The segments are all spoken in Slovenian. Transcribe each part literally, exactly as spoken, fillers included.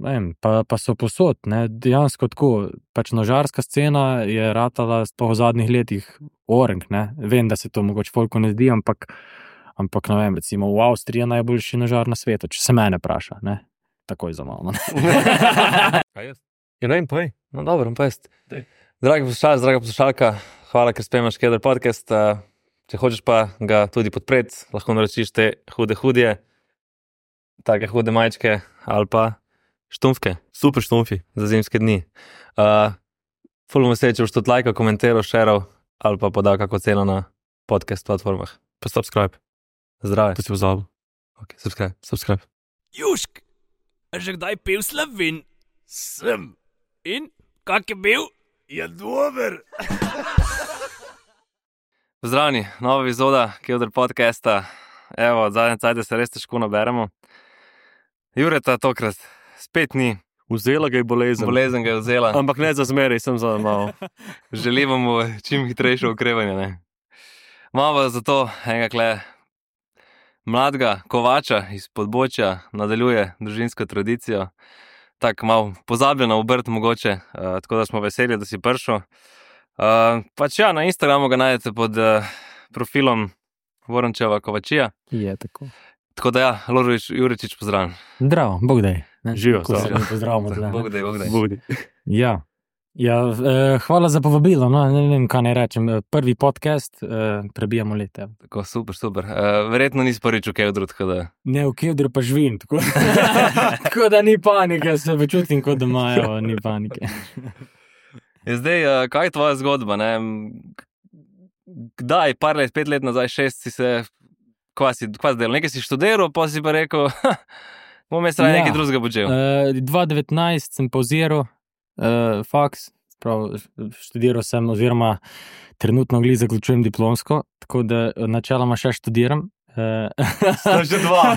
ne vem, pa, pa so posod, ne, dejansko tako, pač nožarska scena je ratala po zadnjih letih orenk, ne, vem, da se to mogoče folku ne zdi, ampak, ampak, ne vem, recimo v Avstriji je najboljši nožar na svetu, če se mene praša, ne, takoj za malo, ne. Kaj jaz? Ja, ne vem, povej. No, dobro, pa jaz. Dragi poslušalci, draga poslušalka, hvala, ker spremljaš Keder podcast. Če hočeš pa ga tudi podpreti, lahko naročiš te hude hudje, take hude majčke ali pa štumfke, super štumfi za zimske dni. Uh, ful bomo se, če boš tudi lajkal, komentiral, šeral ali pa podal kako ceno na podcast platformah. Pa subscribe. Zdrave. To si pozabil. Ok, subscribe. Subscribe. Jušk, a že kdaj pil Slovin? Sem. In, kak je bil? Je dober. Pozdravljeni, nova epizoda Keder podcasta. Evo, od zadnje cajte se res težko naberemo. Jureta tokrat spet ni. Vzela ga je bolezen. Bolezen ga je vzela. Ampak ne za zmeraj, sem za malo. Želimo mu čim hitrejše okrevanje, ne. Malo zato enega kle mladega kovača iz Podbočja nadaljuje družinsko tradicijo. Tako malo pozabljena obrt mogoče, uh, tako da smo veseli, da si prišel. Uh, pač ja, na Instagramu ga najdete pod uh, profilom Vorončeva Kovačija. Je tako. Tako da ja, Lorovič Juričič, pozdravljen. Zdravo, Bog daj. Živijo, Ko se zdravo. ne pozdravimo tle. Bog daj, Bog daj. Budi. Ja, ja eh, hvala za povabilo, no, ne vem, kaj naj rečem. Prvi podcast, eh, prebijamo leta. Tako, super, super. Uh, verjetno nisi prvič v Kedru, tako da... Ne, v Kedru pa živim, tako, tako da ni panike, se počutim kot doma, evo, ni panike. Je zdaj, uh, kaj je tvoja zgodba, ne? Kdaj, par let, pet let nazaj, šest si se... Kva si, kva si delal? Nekaj si študiral, pa si pa rekel, bom jaz raje Ja. nekaj drugega počel. Uh, dva devetnajst sem pauziral uh, faks, prav, študiral sem oziroma trenutno glih zaključujem diplomsko, tako da načeloma še študiram. Uh, Sta že dva.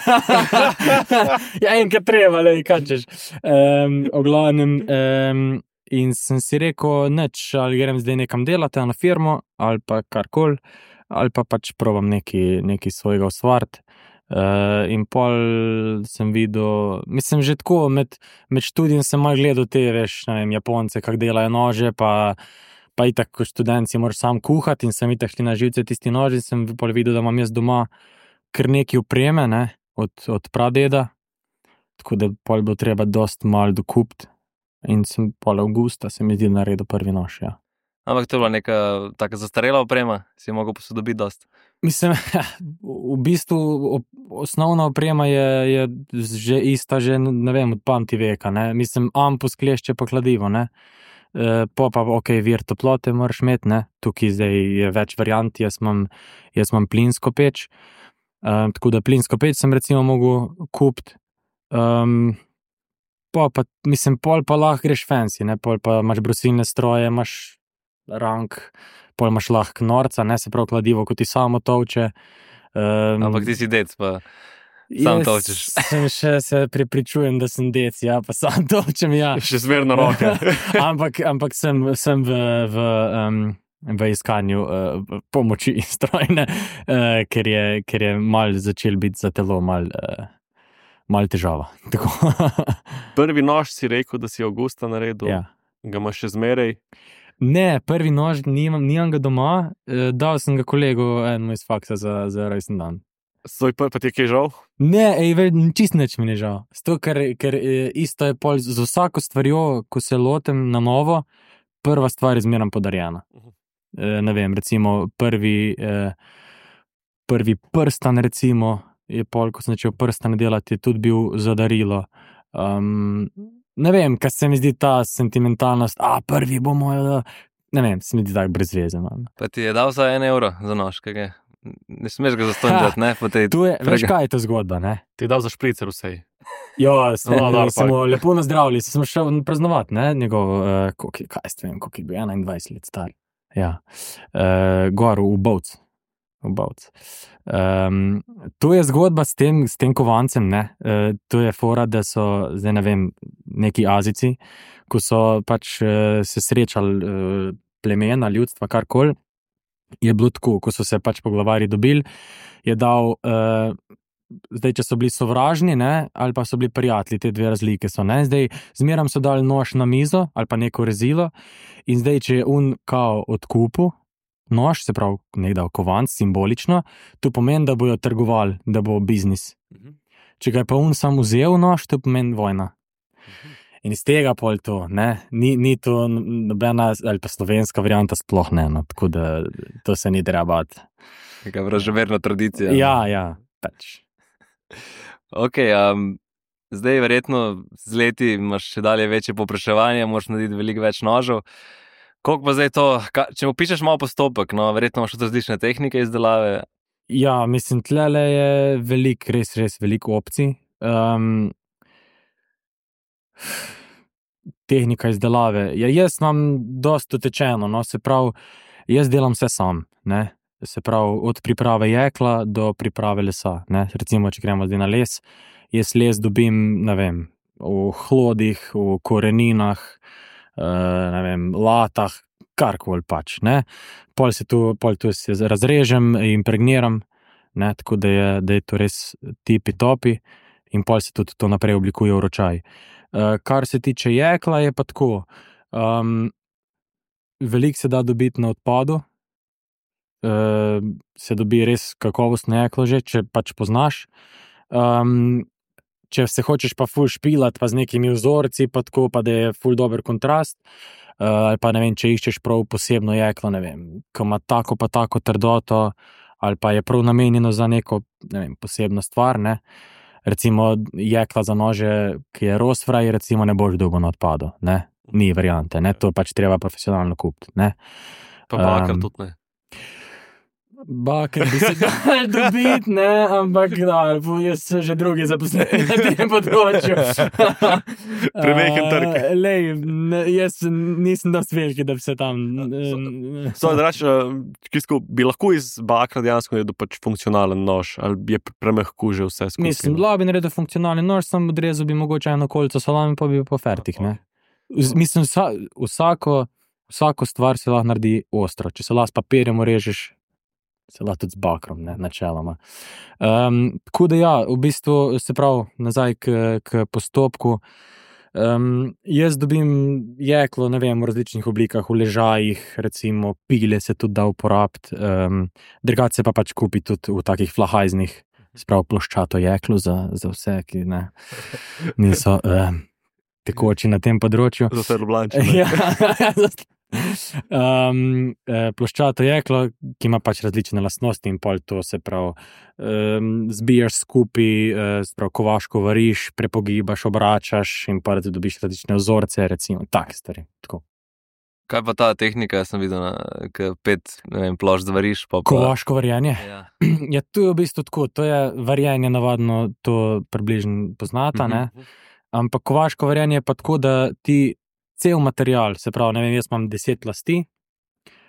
ja, enkrat treba, le, kaj češ. Um, o glavnem, um, in sem si rekel, neč, ali grem zdaj nekam delati na firmo, ali pa karkoli, ali pa pač probam nekaj, nekaj svojega ustvariti. Uh, in pol sem videl, mislim, že tako, med, med študijem sem malo gledal te, veš, ne vem, Japonce, kak delajo nože, pa, pa itak, ko študent si moraš sam kuhati in sem itak šli na živce tisti noži in sem pol videl, da imam jaz doma kar nekaj opreme, ne, od, od pradeda, tako da pol bo treba dost malo dokupiti in sem pol avgusta se mi zdi naredil prvi nož, ja. Ampak to je bila neka taka zastarela oprema, si jo mogel posodobiti dost. Mislim, v bistvu osnovna oprema je, je že ista, že ne vem, od pamti veka, ne. Mislim, ampus, klešče pa kladivo, ne. E, po pa, ok, vir toplote moraš imeti, ne. Tukaj zdaj je več variant, jaz imam, jaz imam plinsko peč, e, tako da plinsko peč sem recimo mogel kupiti. Um, po pa, mislim, pol pa lahko greš fancy, ne, pol pa imaš brusilne stroje, imaš rank, pol imaš lahko norca, ne, se prav kladivo, ko ti samo tovče. Um, Ampak ti si dec, pa sam tovčeš. Sem še se prepričujem, da sem dec, ja, pa sam tovčem, ja. Še zmerno roke. ampak, ampak sem, sem v, v, um, v iskanju uh, pomoči strojne, uh, ker je, ker je mal začel biti za telo mal, uh, mal težava. Tako. Prvi nož si rekel, da si avgusta naredil. ja. Ga imaš še zmeraj. Ne, prvi nož nimam, nimam ga doma, eh, dal sem ga kolegu enemu iz faksa za, za rojsten dan. Svoj pa, pa ti je kaj žal? Ne, ej, ve, čist nič mi ne žal. Sto, ker, ker eh, isto je pol z vsako stvarjo, ko se lotem na novo, prva stvar je zmeraj podarjena. Eh, ne vem, recimo prvi, eh, prvi prstan recimo, je pol, ko sem začel prstan delati, je tudi bil za darilo. Um, ne vem, kaj se mi zdi ta sentimentalnost, a prvi bomo, ne vem, se mi zdi tako brez veze. Man. Pa ti je dal za en evro za nož, kaj je? Ne smeš ga zastonjati, ne? Po tej Tu je, veš prega- kaj je to zgodba, ne? Ti je dal za špricer vsej. Ja, smo, No, dobro, smo lepo nazdravili, smo šel praznovati, ne, njegov, uh, koliko, je- kaj jaz vem, koliko je bil, enaindvajset let star. Ja, uh, gor v Bovc. V Bovc. Um, to je zgodba s tem, s tem kovancem, ne, uh, to je fora, da so, zdaj ne vem, neki Azici, ko so pač uh, se srečali uh, plemena, ljudstva, karkoli, je bilo tako, ko so se pač poglavarji dobili, je dal uh, zdaj, če so bili sovražni, ne, ali pa so bili prijatelji, te dve razlike so, ne, zdaj zmeram so dali nož na mizo ali pa neko rezilo in zdaj, če je un kao odkupu nož, se pravi nekdaj kovanc, simbolično, to pomeni, da bojo trgovali, da bo biznis. Če ga je pa un sam vzel nož, to pomeni vojna. In iz tega pol to, ne, ni, ni to nobena, ali pa slovenska varianta sploh ne, no, tako da to se ni treba bati. Neka vraževerna tradicija. Ja, ja, pač. Ok, um, zdaj verjetno z leti imaš še dalje večje popraševanje, moraš narediti veliko več nožev. Koliko pa zdaj to, ka, če opišeš malo postopek, no, verjetno imaš tudi različne tehnike izdelave. Ja, mislim, tlele je veliko, res, res veliko opcij. Um, tehnika izdelave. Ja, jaz imam dosti utečeno, no, se pravi, jaz delam vse sam, ne. Se pravi, od priprave jekla do priprave lesa, ne. Recimo, če gremo zdaj na les, jaz les dobim, ne vem, v hlodih, v koreninah, ne vem, latah, karkoli pač, ne. Pol se tu, pol tu se razrežem, impregniram, ne, tako da je, da je to res tipi topi in pol se tudi to naprej oblikuje v ročaj. Kar se tiče jekla, je pa tako, um, veliko se da dobiti na odpadu, uh, se dobi res kakovostno jeklo že, če pač poznaš. Um, če se hočeš pa ful špilat, pa z nekimi vzorci, pa tako, pa da je ful dober kontrast, ali uh, pa ne vem, če iščeš prav posebno jeklo, ne vem, ko ima tako pa tako trdoto, ali pa je prav namenjeno za neko, ne vem, posebno stvar, ne. Recimo jekla za nože, ki je rosfraj, recimo ne boš dobil na odpadu, ne. Ni variante, ne, to pač treba profesionalno kupiti, ne. Pa bakar um, tudi ne. Bakar bi se dal dobiti, ne, ampak da, jaz so že drugi zaposleni na tem področju. Premehen trg. Uh, lej, ne, jaz nisem dosti veliki, da bi se tam... So, so da reč, uh, bi lahko iz bakra dejansko naredil pač funkcionalen nož, ali je premehko že vse skupaj? Mislim, da bi naredil funkcionalni nož, sam odrezal bi mogoče eno kolico salami, pa bi pa fertik, ne. Mislim, vsa, vsako, vsako stvar se lahko naredi ostro. Če se lahko s papirjem urežeš, se lahko tudi z bakrom, ne, načeloma. Um, tako da ja, v bistvu se pravi, nazaj k, k postopku. Um, jaz dobim jeklo, ne vem, v različnih oblikah, v ležajih, recimo pile se tudi da uporabiti, um, drugače se pa pač kupi tudi v takih flahajznih, se pravi ploščato jeklo za, za vse, ki ne, niso um, tekoči na tem področju. Za vse Ljubljančane. Ja, Um, ploščato jeklo, ki ima pač različne lastnosti in pol to se pravi um, zbijaš skupaj, se pravi kovaško variš, prepogibaš, obračaš in pa da dobiš različne vzorce, recimo, tak stvari, tako. Kaj pa ta tehnika, jaz sem videl, k pet, ne vem, plošč zvariš, pa pa... Kovaško varjenje? Ja. Ja, to je v bistvu tako, to je varjenje navadno, to približno poznata, ne, ampak kovaško varjenje je pa tako, da ti cel material, se pravi, ne vem, jaz imam deset lasti,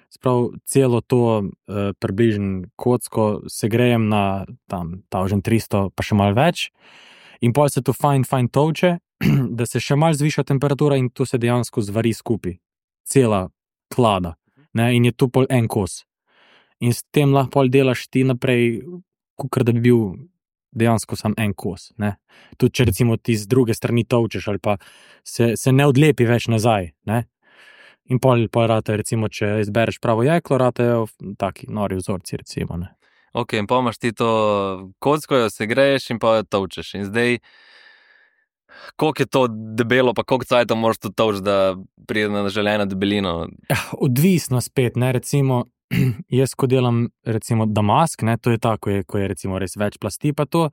se pravi, celo to uh, približno kocko segrejem na tam tisoč tristo, pa še malo več, in pol se to fajn, fajn tolče, da se še malo zviša temperatura in to se dejansko zvari skupaj, cela klada, ne, in je to pol en kos. In s tem lahko pol delaš ti naprej, kakor da bi bil dejansko sam en kos, ne. Tudi če recimo ti z druge strani tolčeš ali pa se, se ne odlepi več nazaj, ne. In pol, pol rate, recimo, če izbereš pravo jeklo, ratejo taki nori vzorci, recimo, ne. Ok, in pa imaš ti to kocko, jo segreješ in pa jo tolčeš. In zdaj, koliko je to debelo, pa koliko cajta moraš to tolč, da pride na želeno debelino? Odvisno spet, ne, recimo, jaz, ko delam, recimo, damask, ne, to je tako, ko je, ko je recimo res več plasti, pa to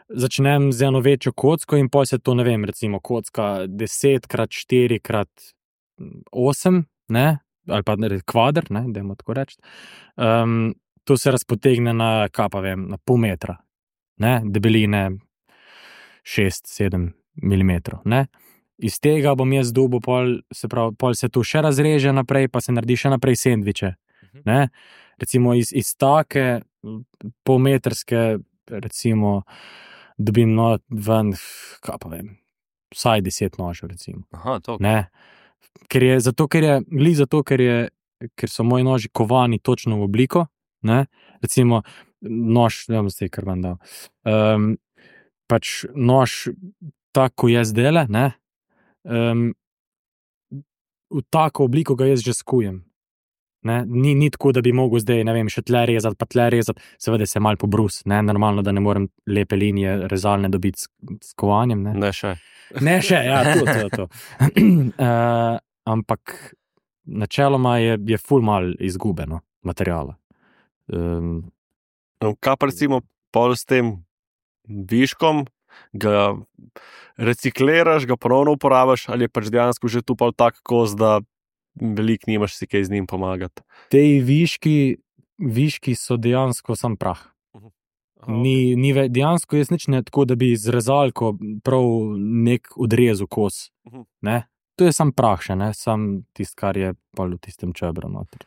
začnem z eno večjo kocko in pol se to, ne vem, recimo, kocka deset krat štiri krat osem, ne, ali pa kvadr, ne, dajmo tako reči, um, to se razpotegne na, kaj pa vem, na pol metra, ne, debeline šest sedem milimetrov, ne. Iz tega bom jaz dobil pol, se pravi, pol se to še razreže naprej, pa se naredi še naprej sendviče. Ne? Recimo iz, iz take polmetrske, recimo, dobim no, ven, kaj pa vem, vsaj deset nožev, recimo. Aha, to. Ne? Ker je, zato, ker je, gli zato, ker je, ker so moji noži kovani točno v obliko, ne? Recimo, nož, ne bom zdaj kar vam dal, um, pač nož tako jaz dele, ne, um, v tako obliko ga jaz že skujem. Ne, ni, ni tako, da bi mogel zdaj, ne vem, še tle rezati, pa tle rezati, seveda se mal pobrus, ne, normalno, da ne morem lepe linije rezalne dobiti s, s kovanjem, ne. Ne še. Ne še, ja, to, to, to. uh, ampak načeloma je, je ful mal izgubeno materijala. Um, Kaj pa recimo pol s tem viškom, ga recikliraš, ga ponovno uporabiš, ali je pač dejansko že tu pol tak kos, da veliko nimaš si kaj z njim pomagati? Te viški, viški so dejansko sam prah. Aha, Ni, ni ve, dejansko jaz nič ne tako, da bi z rezalko prav nek odrezu kos. Mhm. Ne? To je sam prah še, ne? Sam tist, kar je pol v tistem čebru noter.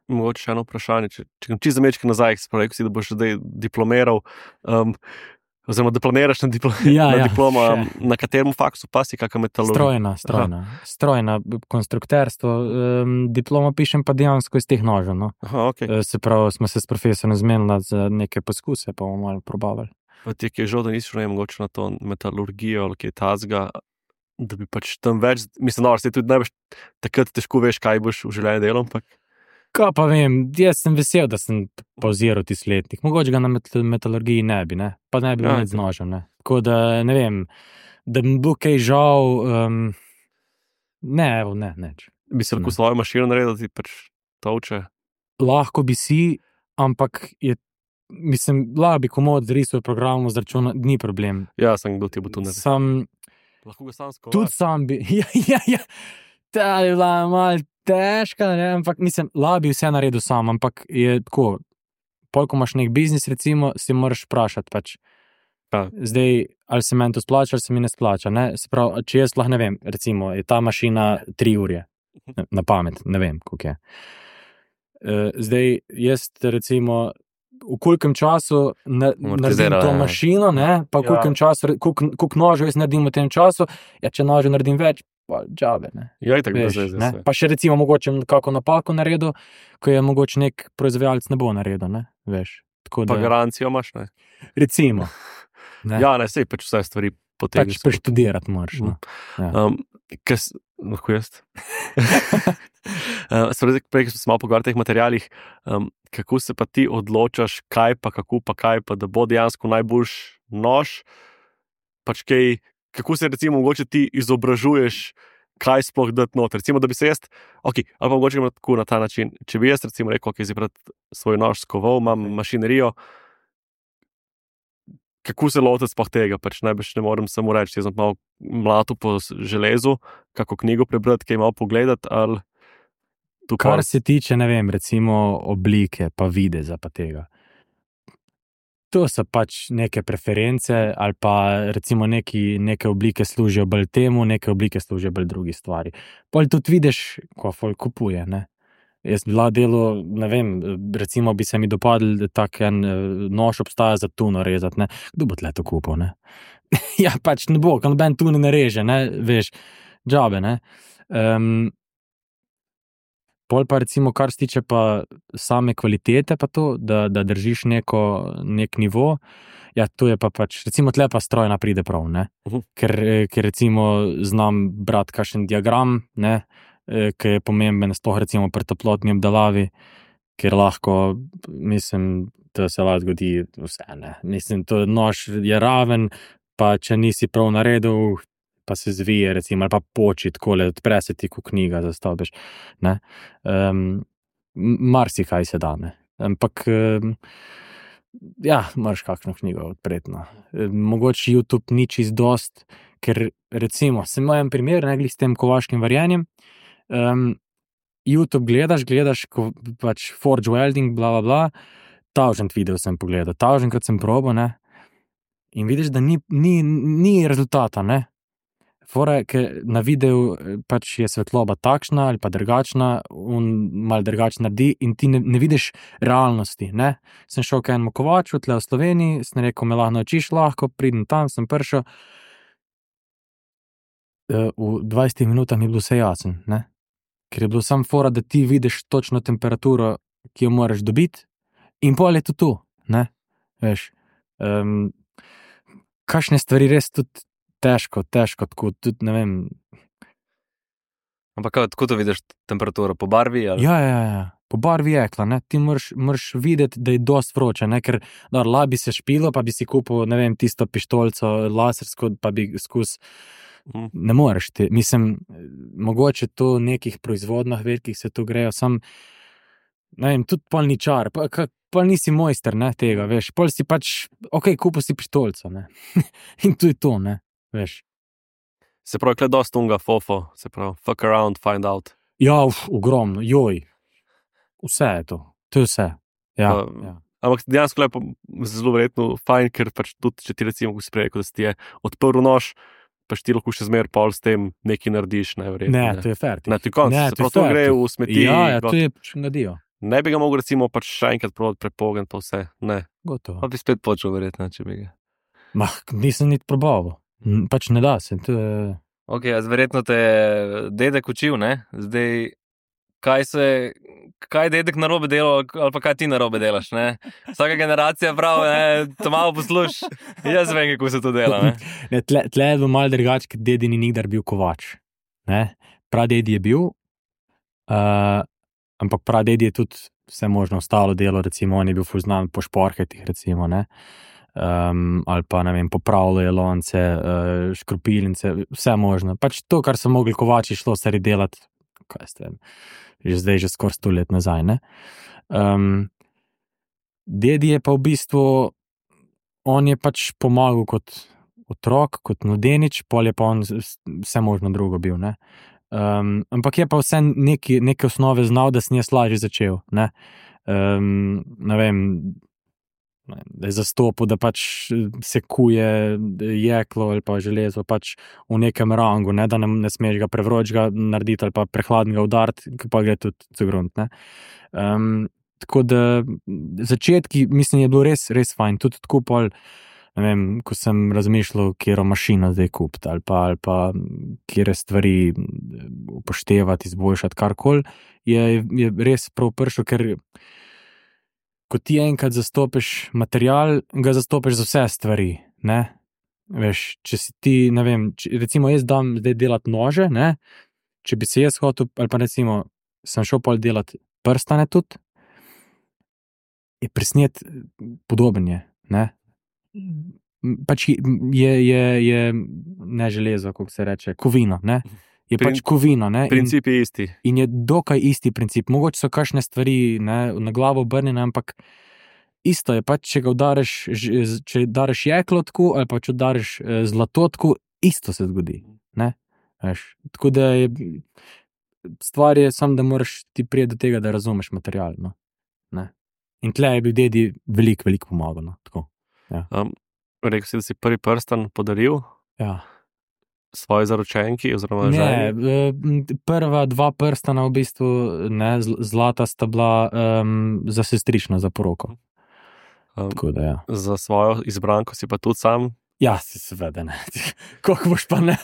Mogoče še eno vprašanje, če, če čisto zamečke nazaj, se pravi, si, da boš zdaj diplomiral, um, oziroma diplomiraš na, diplo, Ja, na ja, diploma, še. na katerem faksu pa si, kakšna metalurgija? Strojna, strojna. Strojna, konstrukterstvo. Um, diploma pišem pa dejansko iz teh nožev. No? Aha, ok. E, Se pravi, smo se s profesorjem zmenili za neke poskuse, pa bomo malo probavali. Pa ti je žal, da nisi šel mogoče na to metalurgijo ali kaj tazga, da bi pač tam več, mislim, no, se tudi najbolj takrat težko veš, kaj boš v življenju delal, ampak Kaj pa vem, jaz sem vesel, da sem pauziral tisti letnik. Mogoče ga na met metalurgiji ne bi, ne? Pa ne bi Ja, bil z nožem. Ne? Tako da ne vem, da mi bo kaj žal. Um, ne, evo, ne, neč. bi se lahko Ne. svojo mašino naredil, ti pač tolče. Lahko bi si, ampak je, mislim, lahko bi komod zrisal program z računa, ni problem. Ja, sem kdo ti bo tu naredil. Sam, Lahko ga sam skoval. tudi sam bi, ja, ja, ja, ta je bila malo težka, ne, ampak mislim, lahko bi vse naredil sam, ampak je tako, pol, ko imaš nek biznis, recimo, si moraš vprašati, pač, Ja. zdaj, ali se meni to splača, ali se mi ne splača, ne, se pravi, če jaz lahko ne vem, recimo, je ta mašina tri ure, na pamet, ne vem, koliko je. Uh, zdaj, jaz recimo, v kolikem času na, naredim Amortizira, to ja. mašino, ne, pa v kolikem času, koliko, koliko nožev jaz naredim v tem času, ja, če nožev naredim več, pa džabe, ne. Ja, itak Veš, brez veze ne? vse. Pa še recimo mogoče kako napako naredil, ko je mogoče nek proizvajalec ne bo naredil, ne, veš. Tako Pa da, garancijo imaš, ne? recimo, ne, Ja, ne, sej pač vse stvari potem. pač preštudirati moraš, no. Ja. Um, kas, lahko jaz? uh, Spredi, prej, ko smo se malo pogovarjali o teh materialih, um, kako se pa ti odločaš, kaj pa, kako pa, kaj pa, da bo dejansko najboljš nož, pač kaj, kako se recimo mogoče ti izobražuješ, kaj sploh dati noter. Recimo, da bi se jaz, ok, ali pa mogoče gremo tako na ta način, če bi jaz recimo rekel, ok, zdaj pred svoj nož skoval, imam mašinerijo, kako se lotiti sploh tega, pač najbrž ne morem samo reči, jaz sem malo mlato po železu, kako knjigo prebrati, kaj malo pogledati, ali tu Kar pa- se tiče, ne vem, recimo oblike, pa videza, pa tega. To so pač neke preference, ali pa recimo neki, neke oblike služijo bolj temu, neke oblike služijo bolj drugi stvari. Pol tudi vidiš, ko folk kupuje, ne. Jaz bi lahko delal, ne vem, recimo bi se mi dopadl, da tak en eh, nož obstaja za tuno rezati, ne. Kdo bo tle to kupil, ne? Ja, pač ne bo, ko noben tune ne reže, ne, veš, džabe, ne. Um, Pol pa recimo, kar se tiče pa same kvalitete, pa to, da, da držiš neko, nek nivo, ja, to je pa pač, recimo tle pa strojna pride prav, ne. Mhm. Ker, eh, ker recimo znam brati kakšen diagram, ne, eh, ki je pomemben, sploh recimo pri toplotni obdelavi, ker lahko, mislim, to se lahko zgodi vse, ne. Mislim, to nož je raven, pa če nisi prav naredil, pa se zvije, recimo, ali pa poči takole, odpre se ti, ko knjiga zastopiš, ne. Um, marsikaj se da, ne. Ampak, um, ja, moraš kakšno knjigo odpreti, no. Um, mogoče YouTube ni čist dost, ker recimo, sem imel en primer, ne, glih s tem kovaškim varjenjem, um, YouTube gledaš, gledaš, ko pač Forge Welding, bla, bla, bla, tavžent video sem pogledal, tavženkrat sem probal, ne, in vidiš, da ni, ni, ni rezultata, ne. Fora je, ker na videu pač je svetloba takšna ali pa drugačna, on malo drugače naredi in ti ne, ne vidiš realnosti, ne. Sem šel k enemu kovaču tle v Sloveniji, sem rekel, me lahko naučiš, lahko, pridem tam, sem prišel. V dvajsetih minutah mi je bilo vse jasno, ne. Ker je bilo sam fora, da ti vidiš točno temperaturo, ki jo moraš dobiti, in pol je to tu, ne. Veš, um, kakšne stvari res tudi težko, težko, tako tudi, ne vem. Ampak kako to vidiš temperaturo? Po barvi? Ali? Ja, ja, ja. Po barvi jekla, ne, ti moraš, moraš videti, da je dost vroče, ne, ker da, la bi se špilo, pa bi si kupil, ne vem, tisto pištolco lasersko, pa bi skus, Mm. ne moreš ti, mislim, mogoče to v nekih proizvodnah velikih se to grejo, sam, ne vem, tudi pol ni čar, pa, ka, pol nisi mojster, ne, tega, veš, pol si pač, ok, kupil si pištolco, ne, in to je to, ne, veš. Se pravi, kle dost unga fofo, se pravi, fuck around, find out. Ja, uf, ogromno, joj, vse je to, to je vse, ja, Pa- ja. Ampak dejansko je pa zelo verjetno fajn, ker pač tudi, če ti recimo, ko si prej rekel, da si ti je odprl nož, pač ti lahko še zmer pol s tem nekaj narediš, ne, verjetno. Ne, to je fair. Ne, ti konc, Ne, se to je prav to fair, gre to- v smeti. Ja, ja, got- to je pač nadijo, Ne bi ga mogel recimo pač še enkrat probati prepogen pa vse, ne. gotovo. Pa bi spet počel, verjetno, če bi ga. Mah, nisem niti probaval, N- pač ne da se, to je... Ok, jaz verjetno te je dedek učil, ne? Zdaj, kaj se, kaj je dedek narobe delal, ali pa kaj ti narobe delaš, ne? Vsaka generacija pravi, ne, to malo posluš. Jaz vem, kako se to dela, ne? Ne, tle, tle je bilo malo drugače, ker dedi ni nikdar bil kovač. Ne? Pradedi je bil, uh, ampak pradedi je tudi vse možno ostalo delo, recimo on je bil ful znan po šporhetih, recimo, ne? Um, ali pa, ne vem, popravljajo lonce, uh, škropilnice, vse možno. Pač to, kar so mogli kovači šlo stari delati, kaj ste, že zdaj, že skoraj sto let nazaj, ne? Um, dedi je pa v bistvu, on je pač pomagal kot otrok, kot mladenič, pol je pa on vse možno drugo bil, ne. Um, ampak je pa vse neki, neke osnove znal, da sem jaz lažje začel, ne. Um, ne vem, da je zastopil, da pač se kuje jeklo ali pa železo pač v nekem rangu, ne, da ne, ne smeš ga prevročega narediti ali pa prehladnega udariti, ki pa gre tudi zagrunt, ne. Um, tako da začetki, mislim, je bilo res, res fajn, tudi tako pol, ne vem, ko sem razmišljal, kjero mašino zdaj kupiti ali pa, ali pa kjere stvari upoštevati, izboljšati, karkoli, je, je res prav prišel, ker ko ti enkrat zastopiš material, ga zastopiš za vse stvari, ne, veš, če si ti, ne vem, če, recimo jaz dam zdaj delati nože, ne, če bi se jaz hotel, ali pa recimo sem šel pol delati prstane tudi, je presnet podoben je, ne, pač je, je, je ne železo, kako se reče, kovino, ne, je Prin- pač kovino, ne, in, Princip je isti. in je dokaj isti princip, mogoče so kakšne stvari, ne, na glavo obrnjene, ampak isto je pač, če ga udariš, ž- z- če udariš jeklo tako, ali pa če udariš eh, zlato tako, isto se zgodi, ne, veš, tako da je, stvar je samo, da moraš ti priti do tega, da razumeš material, no, ne, in tle je bil dedi veliko, veliko pomagal, no, tako, Um, rekel si, da si prvi prstan podaril ja. svoji zaročenki oziroma Ne, ženi. eh, prva dva prstana v bistvu, ne, zl- zlata sta bila um, za sestrično, za poroko. Um, Tako da, ja. Za svojo izbranko si pa tudi sam. Ja, si seveda ne. Kako boš pa ne?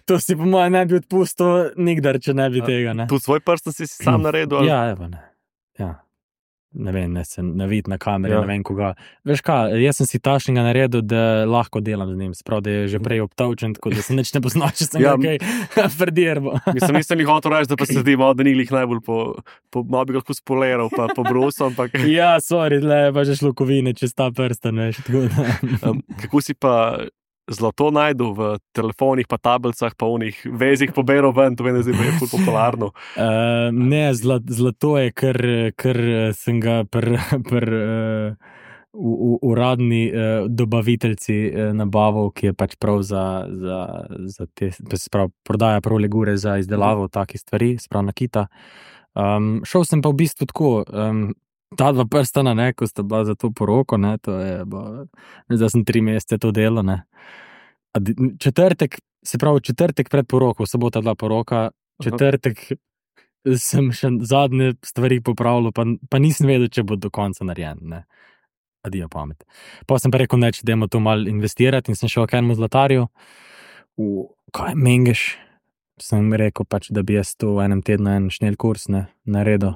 To si po mojem ne bi odpustil nikdar, če ne bi A, tega, ne. Tudi svoj prsten si si sam naredil. ali- Ja, evo ne. Ja. Ne vem, ne se navid na kameri, Ja. ja. ne vem koga. Veš kaj, jaz sem si tašnega naredil, da lahko delam z njim, sprav, da je že prej obtavčen, tako da se nič ne pozna, če sem Ja. ja. kaj predirbo. Mislim, nisem jih hotel reči, da pa se zdi, malo, da ni glih najbolj po, po malo bi ga lahko spoliral, pa po brusu, ampak Ja, sorry, le pa že šlukovine čez ta prsten, veš, tako da. um, kako si pa zlato najdel v telefonih, pa tablicah, pa unih vezih poberal ven, to meni zdaj pa je ful popularno. Uh, ne, zla, zlato je, ker, ker sem ga pri pr, uh, uradni uh, dobaviteljci uh, nabavil, ki je pač prav za, za, za te, sprav, prodaja prav legure za izdelavo takih stvari, sprav nakita. Um, šel sem pa v bistvu tako, um, ta dva prstana, ne, ko sta bila za to poroko, ne, to je, bo, zdaj sem tri mesece to delal, ne. A di- Četrtek, se pravi četrtek pred poroko, sobota bila poroka, četrtek sem še zadnje stvari popravljal, pa, pa nisem vedel, če bo do konca narejen, ne. Adijo pamet. Pa sem pa rekel, ne, če dajmo to malo investirati in sem šel k enemu zlatarju, v, kaj, Mengeš, sem rekel pač, da bi jaz to v enem tednu en šnel kurs, ne, naredil,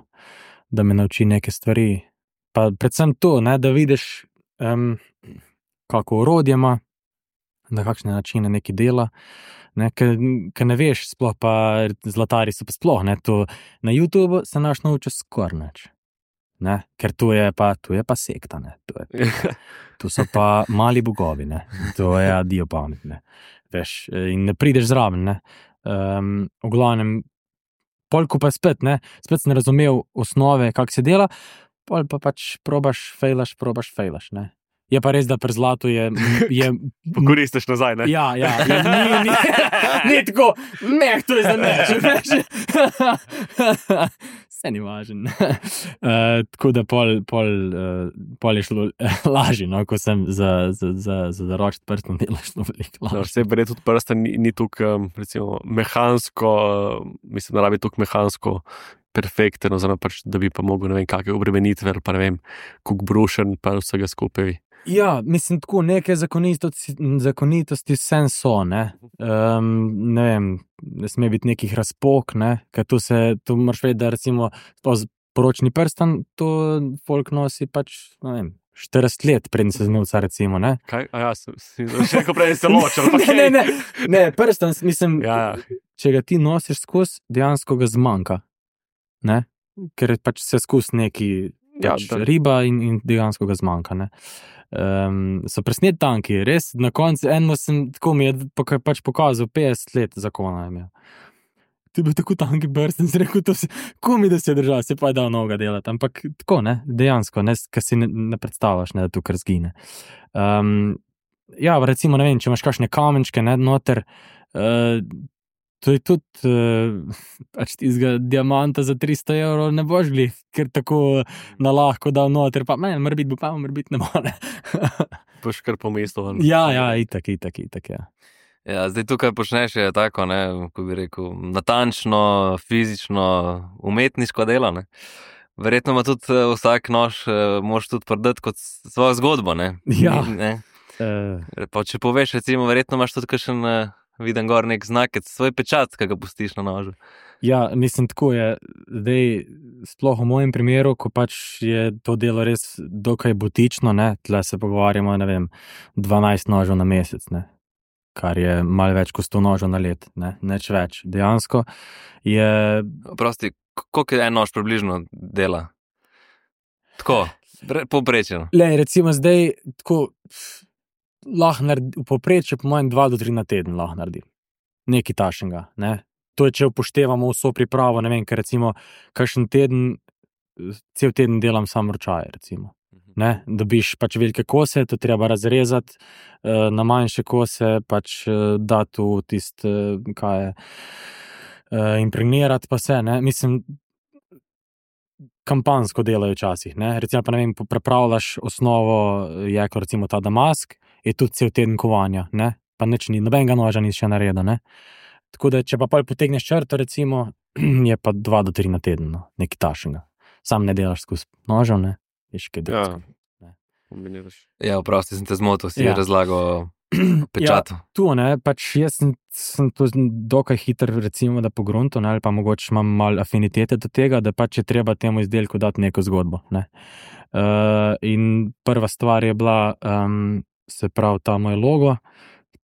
da me nauči neke stvari. Pa predvsem to, ne, da vidiš, um, kako orodje ima, na kakšne načine neki dela, ne, ker ne veš, sploh pa zlatari so pa sploh, ne, to na YouTubeu se naš nauči skoraj nič, ne, ker tu je pa, tu je pa sekta, ne, tu, je, tu so pa mali bogovi, ne, to je adijo pamet, ne, veš, in ne prideš zraven, ne, um, v glavnem, polko pa spet, ne, spet sem razumel osnove, kak se dela, pol pa pač probaš, fejlaš, probaš, fejlaš, ne. Je pa res, da pri zlatu je... je Pokoristiš nazaj, ne? Ja, ja, je, ni, ni, ni tako, meh, to je za neč, veš. Vse ni važen. Uh, tako da pol, pol, uh, pol je šlo lažje, no, ko sem za, za, za, za zaročiti prstom delo šlo veliko lažje. No, vse verjetno tudi prsta ni, ni tukaj, recimo, mehansko, mislim, da rabi tukaj mehansko perfekten, oziroma pač, da bi pa mogel, ne vem, kakve obremenitve, ali pa ne vem, kuk brušen, pa vsega skupaj. Ja, mislim, tako neke zakonitosti, zakonitosti vsem so, ne. Um, ne vem, ne sme biti nekih razpok, ne, ker tu se, tu moraš vedeti, da recimo poročni prstan, to folk nosi pač, ne vem, štirideset let, preden se zmevca, recimo, ne. Kaj? A ja, si še neko prej se ločil, pa ne, ne, ne, ne, prstan, mislim, ja. Če ga ti nosiš skozi, dejansko ga zmanjka, ne, ker pač se skozi neki pač ja, riba in, in dejansko ga zmanjka, ne. Um, so presnet tanki, res, na koncu eno sem, tako mi je pač pokazal petdeset let zakona imel. Ti bi tako tanki brst in si rekel, to si, komi da si je držal, se pa je dal noga delati, ampak tako, ne, dejansko, ne, ker si ne, ne predstavljaš, ne, da tukaj zgine. Um, ja, recimo, ne vem, če imaš kakšne kamenčke, ne, noter, uh, to je tudi, uh, pač tizga diamanta za tristo evrov ne boš glih, ker tako na lahko dal noter, pa meni, mora biti bo pa, mora biti ne bo, ne. Boš kar po mestu. Ja, ja, itak, itak, itak, ja. Ja, zdaj tukaj počneš je tako, ne, ko bi rekel, natančno, fizično, umetniško delo, ne. Verjetno ima tudi vsak nož, moraš tudi prodati kot svojo zgodbo, ne. Ja. Ne. Uh, pa če poveš, recimo, verjetno imaš tudi kakšen, viden gor nek znakec, svoj pečat, ki ga pustiš na nožu. Ja, mislim, tako je, zdaj, sploh v mojem primeru, ko pač je to delo res dokaj butično, ne, tle se pogovarjamo, ne vem, dvanajst nožev na mesec, ne. Kar je malo več kot sto nožev na let, ne, neč več. Dejansko je... Prosti, koliko je en nož približno dela? Tako, povprečeno. Le, recimo zdaj, tako, lahko naredi, v povprečju po mojem dva do tri na teden lahko naredi. Nekaj tašnega, ne. To je, če upoštevamo vso pripravo, ne vem, ker recimo, kakšen teden, cel teden delam sam ročaje, recimo. Ne, dobiš pač velike kose, to treba razrezati, na manjše kose pač dati v tist, kaj je, impregnirati pa se, ne, mislim, kampansko delajo včasih, ne, recimo pa ne vem, prepravljaš osnovo, je kot recimo ta damask, je tudi cel teden kovanja, ne, pa nič ni, nobenega noža ni še naredil, ne, tako da, če pa pol potegneš črto, recimo, je pa dva do tri na teden, no, nekaj tašnega, sam ne delaš skozi nožev, ne. Ja, kombiniraš. Ja, vprosti sem te zmotil, si Ja. razlagal pečatu. Ja, tu, ne, pač jaz sem, sem to dokaj hiter, recimo, da pogrunto, ne, ali pa mogoče imam malo afinitete do tega, da pač je treba temu izdelku dati neko zgodbo, ne. Uh, in prva stvar je bila, um, se pravi, ta moj logo,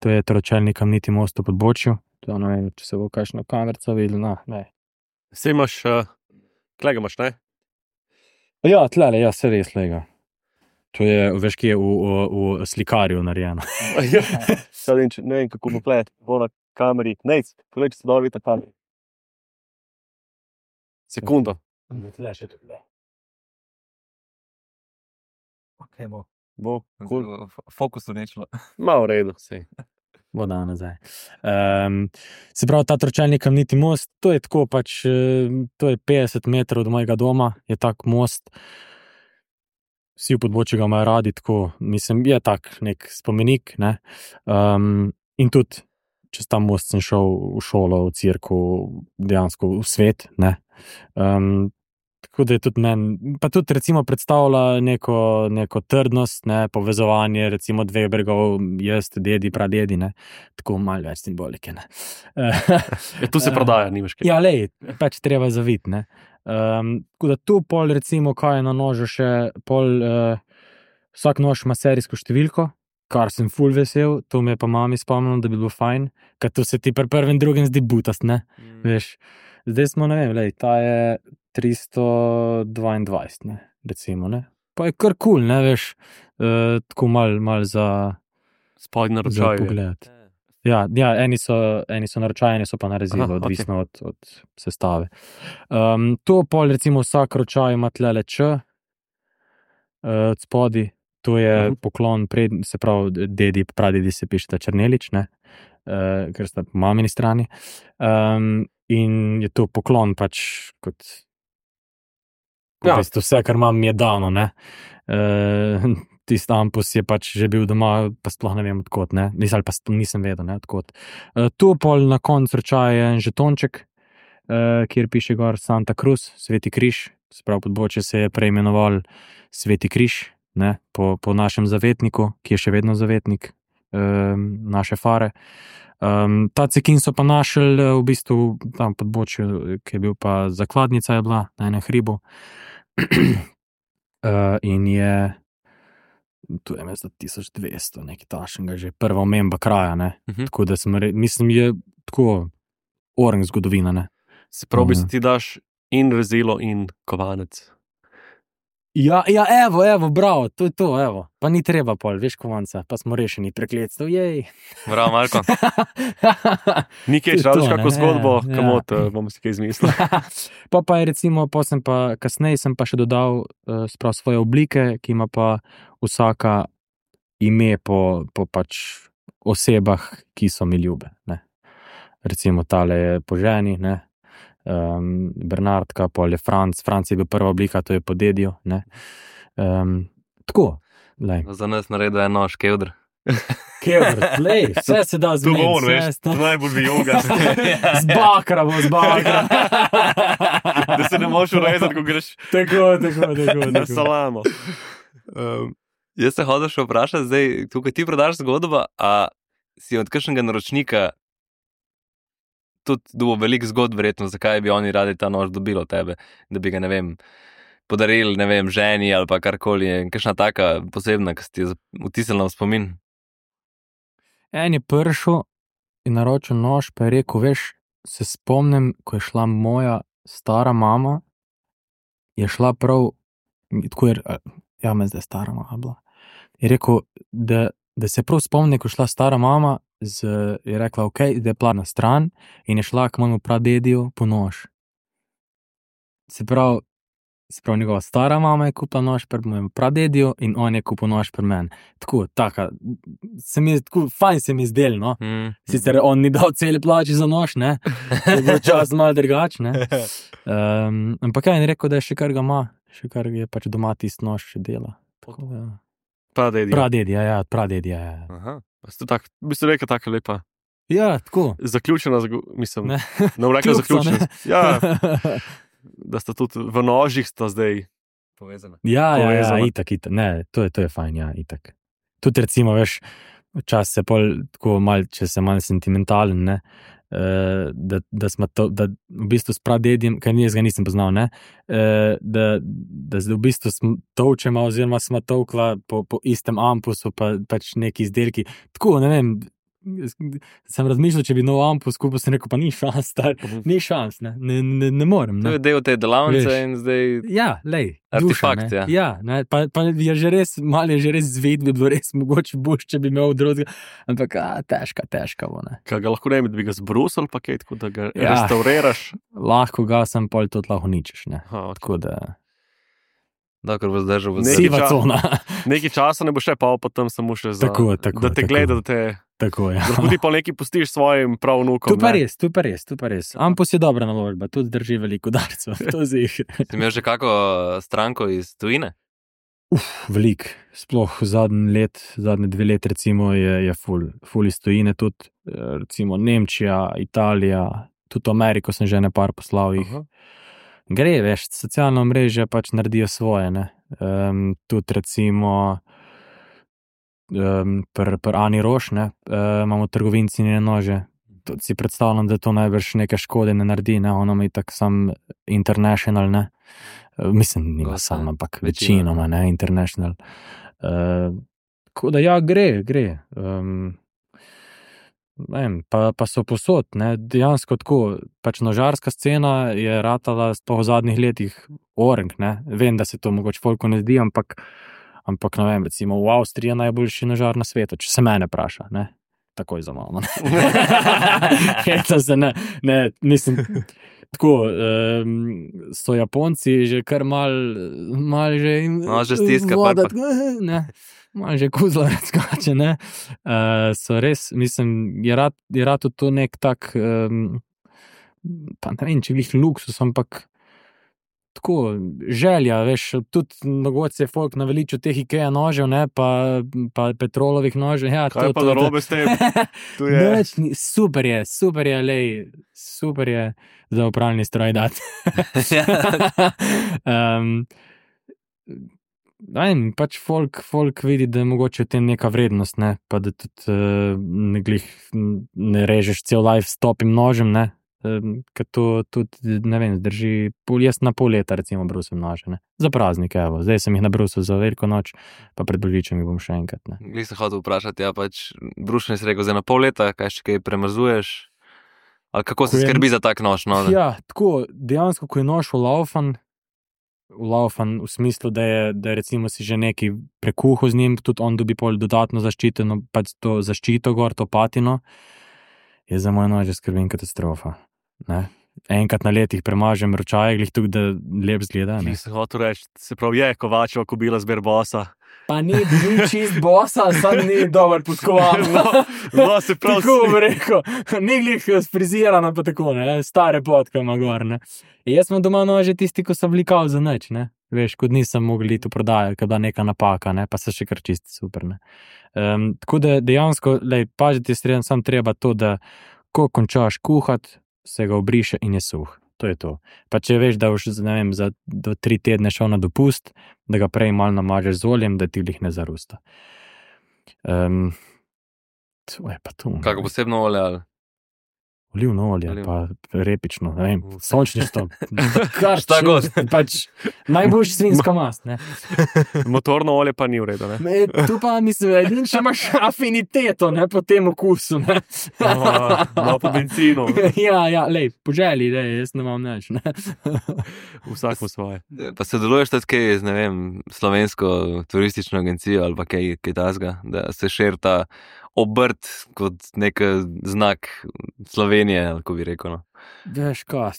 to je tročelni kamniti most v Podbočju, to ne vem, če se bo kakšna kamerca videla, na, ne. Sej imaš, uh, klega imaš, ne? Ja, tlele, ja, se res lega. To je, veš, ki je v, v, v slikarju narejeno. Ja, sad in če, ne vem, kako bo plet, bo na kameri. Nejc, pogled, če se dobro vidi na kameri. Sekundo. Tle še tukaj. Ok, bo. Bo, cool. Fokusu nečlo. Malo v redu, sej. Bo da nazaj. Um, se pravi, ta tročelni kamniti most, to je tako pač, to je petdeset metrov od mojega doma, je tak most. Vsi v Podbočju ga imajo radi, tako, mislim, je tak nek spomenik, ne. Um, in tudi, čez ta most sem šel v šolo, v cirku, dejansko v svet, ne. Um, tako da je tudi meni, pa tudi recimo predstavlja neko, neko trdnost, ne, povezovanje, recimo dveh bregov, jaz, dedi, pradedi, ne. Tako malo več simbolike, ne. Ja, tu se prodaja, nimaš kaj. Ja, lej, pač treba zaviti, ne. Um, tako da tu pol recimo, kaj je na nožu še, pol, uh, vsak nož ima serijsko številko, kar sem ful vesel, to me je pa mami spomnilo, da bi bilo fajn, ker to se ti pri prvem drugem zdi butast, ne, mm. veš. Zdaj smo, ne vem, lej, ta je tristo dvaindvajset, ne, recimo, ne. Pa je kar kul, ne, veš, uh, tako mal, mal za, spodnji naročaj. za pogled. Ja, ja, eni so, eni so naročaj, eni so pa na rezilo, Aha, odvisno od, od sestave. Um, to pol, recimo, vsak ročaj ima tlele č, uh, od spodi, to je Mhm. poklon pred, se pravi, dedi, pradedi se pišeta Černelič, ne, uh, ker sta po mamini strani. Um, in je to poklon pač kot, kot Ja. v bistvu vse, kar imam, mi je dano, ne. Uh, tisti ampus je pač že bil doma, pa sploh ne vem odkot, ne, mislim, pa nisem vedel, ne, odkot. Uh, to pol na koncu ročaja je en žetonček, uh, kjer piše gor Santa Cruz, Sveti križ, se pravi podbočje se je preimenoval Sveti križ, ne, po, po našem zavetniku, ki je še vedno zavetnik um, naše fare. Um, ta cekin so pa našli uh, v bistvu tam podbočju, ki je bil pa zakladnica je bila na enem hribu. uh, in je tu je mesto tisoč dvesto, nekaj tašnega, že prva omemba kraja, ne. Mhm. Tako da sem re, mislim, je tako orang zgodovina, ne. Se pravi, Mhm. mm. ti daš in rezilo in kovanec. Ja, ja, evo, evo, bravo, to je to, evo. Pa ni treba pol, veš, kovanca, pa smo rešeni prekletstv, jej. Bravo, Marko. Nikaj, To je če radiš to, kako ne, zgodbo, ja. kamot, uh, bomo si kaj izmislili. Pa pa je recimo, pa sem pa, kasneje sem pa še dodal uh, sprav svoje oblike, ki ima pa vsaka ime po, po pač osebah, ki so mi ljube, ne. Recimo tale je po ženi, ne. Um, Bernardka, pol je Franc, Franc je bil prva oblika, to je po dediju, ne. Um, tako, lej. Za nas naredil eno škevdr. Kevr, lej, vse se da zmeniti. Dogovor, vse veš, se da- najbolj bi joga. Z bakra bo, z bakra. Da se ne moreš urezati, ko greš Tako, tako, tako. na tako. salamo. Um, jaz se hodim še vprašati, zdaj, tukaj ti prodaš zgodbo, a si od kakšnega naročnika tudi dobil veliko zgodb, verjetno, zakaj bi oni radi ta nož dobili od tebe, da bi ga, ne vem, podarili, ne vem, ženi ali pa karkoli, je kakšna taka posebna, ki si ti je vtisnila v spomin. En je prišel in naročil nož, pa je rekel, veš, se spomnim, ko je šla moja stara mama, je šla prav, tako je, ja, me zdaj stara mama bila, je rekel, da, da se prav spomni, ko je šla stara mama, z, je rekla, ok, da je pla na stran in je šla k mojemu pradediju po nož. Se pravi, se pravi, njegova stara mama je kupila nož pri mojemu pradediju in on je kupil nož pri meni. Tako, taka, se mi je, tako, fajn se mi je zdel, no. Mm. Sicer on ni dal cele plači za nož, ne, je bil čas malo drugač, ne. Um, ampak ja, in rekel, da je še kar ga ima, še kar je pač doma tisti nož še dela. Tako, ja. Pradedi. Pradedi, ja, ja, pradedi, ja, ja. Aha. Tak, bi se rekel, tako lepa. Ja, tako. Zaključena, zgo- mislim, Ne. ne bom rekel Kljukica, zaključena. ne. Ja, da sta tudi v nožih sta zdaj. Povezana. Ja, ja, ja, Povezano. itak, itak, ne, to je, to je fajn, ja, itak. Tudi recimo, veš, včasih se pol, tako mal, če se malo sentimentalen, ne, uh, da, da smo to, da v bistvu s pradedjem, ker jaz ga nisem poznal, ne, uh, da, da zdaj v bistvu smo tolčema oziroma smo tolkla po, po istem ampusu, pa pač neki izdelki, tako, ne vem, sem razmišljal, če bi nov ampus skupaj, sem rekel, pa ni šans, star, ni šans, ne, ne, ne, ne morem, To ne. je del te delavnice Veš. in zdaj Ja, lej, Artefakt, duša, ne. ja. Ja, ne, pa, pa je že res, malo je že res zved, bi bilo res mogoče boš, če bi imel drugega, ampak a, težka, težka bo, ne. Kaj ga lahko ne bi, da bi ga zbrusili, pa kaj, tako da ga Ja. restauriraš. Lahko ga sem pol tudi lahko ničeš, ne. Aha, Tako da, dokler bo zdržal v Ne, zdaj. siva ča- cona, nekaj časa ne bo še pa, pa tam samo še za, Tako, tako, da te tako. gleda, da te, tako je. da lahko ti pa nekaj pustiš svojim pravnukom. Tu pa ne. res, tu pa res, tu pa res. Ampus je dobra naložba, tudi drži veliko darcev, to zih. Si imel že kako stranko iz tujine? Velik, sploh zadnji let, zadnje dve let recimo je, je ful, ful iz tujine, tudi eh, recimo Nemčija, Italija, tudi v Ameriko sem že ne par poslal jih. Aha. Gre, veš, socialno mreže pač naredijo svoje, ne. Um, tudi recimo um, pri pr Ani Roš, ne, uh, imamo trgovinci njene nože. Tudi si predstavljam, da to najbrž neke škode ne naredi, ne, ona ima itak sam international, ne. Uh, mislim, nima Gosta, sam, ampak večina. večinoma, ne, international. Uh, Tako da ja, gre, gre. Um, ne vem, pa, pa so posod, ne, dejansko tako, pač nožarska scena je ratala sploh v zadnjih letih oreng, ne, vem, da se to mogoče folku ne zdi, ampak, ampak ne vem, recimo v Avstriji je najboljši nožar na svetu, če se mene praša, ne, takoj za malo, ne. Hecam se, ne, ne, mislim, tako, um, so Japonci že kar mal, mal že jim No, že stiska, voda, pa- pa. ne, malo že kuzla razkače, ne. Uh, so res, mislim, je rad, je rad to nek tak, um, pa ne vem, če glih luksus, ampak tako, želja, veš, tudi mogoče se je folk naveličil teh Ikea nožev, ne, pa, pa Petrolovih nožev, ja, Kaj to, pa to, narobe s tem? Tu je. Nič ni- super je, super je, lej, super je za upravljanje stroj dati. um, ne vem, pač folk, folk vidi, da je mogoče v tem neka vrednost, ne, pa da tudi uh, ne, glih, ne režeš cel life s topim nožem, ne, um, ker to tudi, ne vem, zdrži pol, jaz na pol leta recimo brusim nože, ne, za praznike, evo, zdaj sem jih nabrusil za veliko noč, pa pred božičem jih bom še enkrat, ne. Glih sem hotel vprašati, ja, pač brušenje si rekel, zdaj na pol leta, kaj še kaj premazuješ? Ali kako se Ko je- skrbi za tak nož? No, da- Ja, tako, dejansko, ko je nož vlaufan, vlaufan v smislu, da je, da je recimo si že neki prekuhal z njim, tudi on dobi pol dodatno zaščiteno, pač to zaščito gor, to patino, je za moj nož skrbim katastrofa, ne. Enkrat na letih premažem ročaje, glih tukaj, da lep zgleda, ne. Nisem hotel reči, se pravi, je Kovačeva kobila zber bosa. Pa ni bil čist bosa, sam ni dober podkovan. No, no, se pravi, Tako bi rekel, ni glih sprizirana pa tako, ne, stare potke ima gor, ne. In jaz sem doma nože tisti, ko so bili kao za nič, ne. Veš, kot nisem mogel iti v prodajo, kada neka napaka, ne, pa se še kar čisti super, ne. Um, tako da dejansko, lej, pažiti je sreden, sam treba to, da ko končaš kuhat, se ga obriše in je suh. To je to. Pa če veš, da boš, ne vem, za do tri tedne šel na dopust, da ga prej malo namažeš z oljem, da ti glih ne zarusta. Um, to je pa to. Kako posebno olje ali? Olivno olje, Olivno. pa repično, ne vem, sončništvo. Kar Šta god. Pač najboljši svinjska mast, ne. motorno olje pa ni v redu, ne? Me, tu pa mislim, edin, če imaš afiniteto, ne, po tem okusu, ne. No, no, po benzinu, ja, ja, lej, po želji, lej, jaz ne imam nič, ne. vsak mu svoje. Pa se deluješ tudi kaj z, ne vem, slovensko turistično agencijo ali pa kaj, kaj tasga, da se širi ta obrt kot nek znak Slovenije, ali ko bi rekel, no. Veš kaj,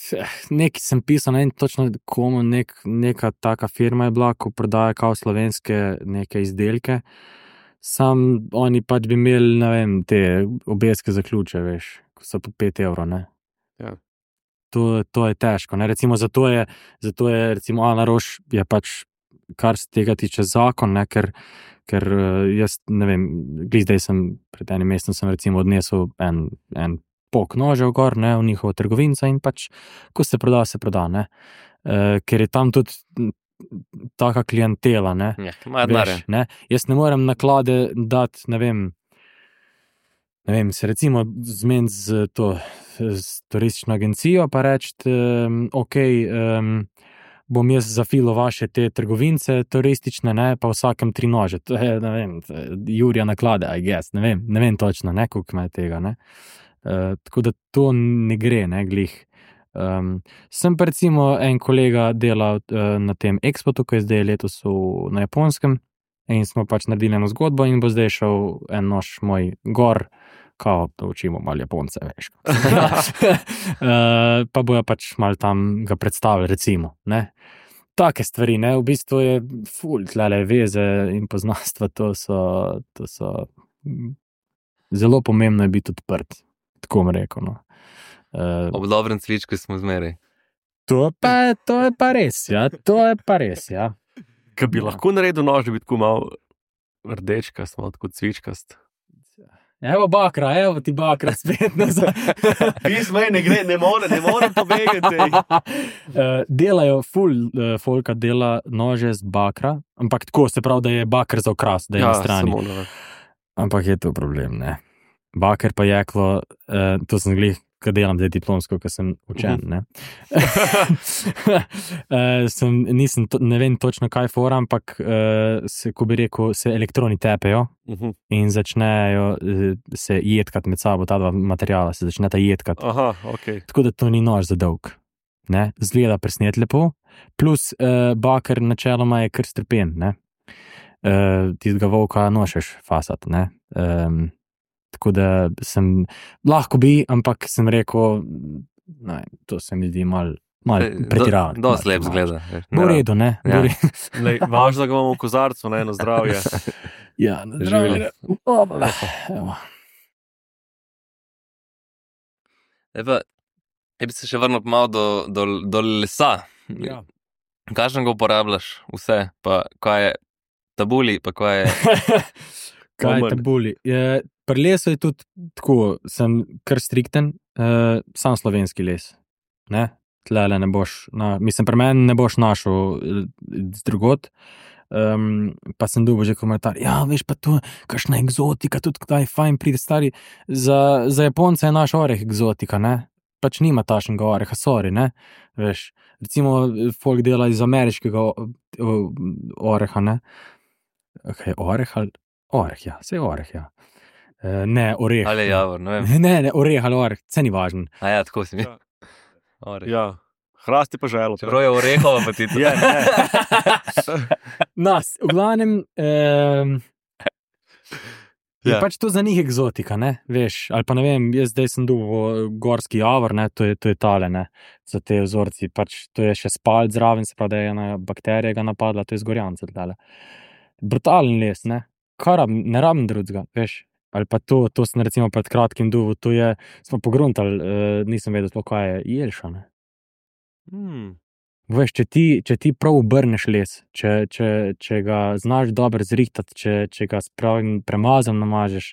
nekaj sem pisal, ne vem točno komu, nek, neka taka firma je bila, ko prodaja kao slovenske neke izdelke, sam oni pač bi imeli, ne vem, te obeske za ključe, veš, ko so po pet evrov, ne. Ja. To, to je težko, ne, recimo zato je, zato je recimo Ana Roš je pač, kar se tega tiče zakon, ne, ker ker uh, jaz ne vem, glih zdaj sem, pred enim mesecem sem recimo odnesel en, en pok nožev gor, ne, v njihovo trgovinco in pač, ko se proda, se proda, ne, uh, ker je tam tudi m, taka klientela, ne, Ja, imajo denarja. veš, ne, jaz ne morem naklade dati, ne vem, ne vem, se recimo zmeniti z to, z turistično agencijo pa reči, um, ok, um, bom jaz zafilo vaše te trgovince turistične, ne, pa vsakem tri nože. To je, ne vem, Jurija naklade, I guess, ne vem, ne vem točno, ne, koliko ima tega, ne. Uh, tako da to ne gre, ne, glih. Um, sem pa recimo en kolega delal uh, na tem Expotu, ki je zdaj letos v, na Japonskem in smo pač naredili eno zgodbo in bo zdaj šel en nož moj gor, kao, da učimo malo Japonce, veš. uh, pa bojo pač malo tam ga predstavili, recimo, ne. Take stvari, ne, v bistvu je ful, tlele veze in poznanstva, to so, to so, mm, zelo pomembno je biti odprt, tako bom rekel, no. Uh, Ob dobrem cvičku smo zmeraj. to, pa, to je pa res, ja, to je pa res, ja. Kaj bi lahko naredil nož, da bi tako malo rdečkast, malo tako cvičkast. Evo bakra, evo ti bakra spet nazaj. Pismo je, ne gre, ne more, ne more pobegati. Uh, delajo, ful uh, folka dela nože z bakra, ampak tako se pravi, da je bakr za okras, da je Ja, na strani. samo na- Ampak je to problem, ne. Baker pa jeklo, uh, to sem glih ko delam zdaj diplomsko, ko sem učen, ne. uh, sem, nisem, to, ne vem točno kaj fora, ampak uh, se, ko bi rekel, se elektroni tepejo Mhm. in začnejo uh, se jedkati med sabo, ta dva materijala se začneta jedkati. Aha, ok. Tako da to ni nož za dolg. Ne? Zgleda presnet lepo, plus uh, baker načeloma je kar strpen, ne. Uh, tistega volka nošeš fasat, ne. Um, tako da sem, lahko bi, ampak sem rekel, ne, to se mi zdi mal, mal pretiravano. Do, dosti lep zgleda. Bo v redu, ne. Ja. Bo v redu. Lej, važno, da ga imamo v kozarcu, na eno zdravje. Ja, na zdravje. Obla. Evo. E pa, jaz bi se še vrnil malo do, do, do lesa. Ja. Kakšen ga uporabljaš vse, pa kaj je tabuli, pa kaj je... Kaj Moment. te boli? Je, pri lesu je tudi tako, sem kar strikten, uh, sam slovenski les. Ne? Tlele ne boš, na, mislim, pri meni ne boš našel eh, drugot. Um, pa sem dobil že komentar, ja, veš pa to, kakšna egzotika, tudi kdaj fajn pride stari. Za, za Japonce je naš oreh egzotika, ne? Pač nima tašnega oreha, sorry, ne? Veš, recimo, folk dela iz ameriškega o, o, oreha, ne? Okay, oreh ali... Oreh, ja, vse je oreh, ja. E, ne, oreh. Ali je javor, ne vem. Ne, ne, oreh ali oreh, vse ni važno. A ja, tako si mi. Ja. Oreh. Ja, hrast je pa želo. Čeprav je orehova, pa ti to. Ja, ne. Nas, v glavnem, um, je Ja. pač to za njih egzotika, ne, veš, ali pa ne vem, jaz zdaj sem dobil gorski javor, ne, to je, to je tale, ne, za te vzorci, pač to je še spalt zraven, se pravi, da je ena bakterija ga napadla, to je zgorjanca, tale. Brutalen les, ne, kar rab, ne rabim drugega, veš, ali pa to, to sem recimo pred kratkim dobil, to je, smo pogruntali, uh, nisem vedel sploh, kaj je jelša, ne. Hmm. Veš, če ti, če ti prav obrneš les, če, če, če ga znaš dobro zrihtati, če, če ga s pravim premazom namažeš,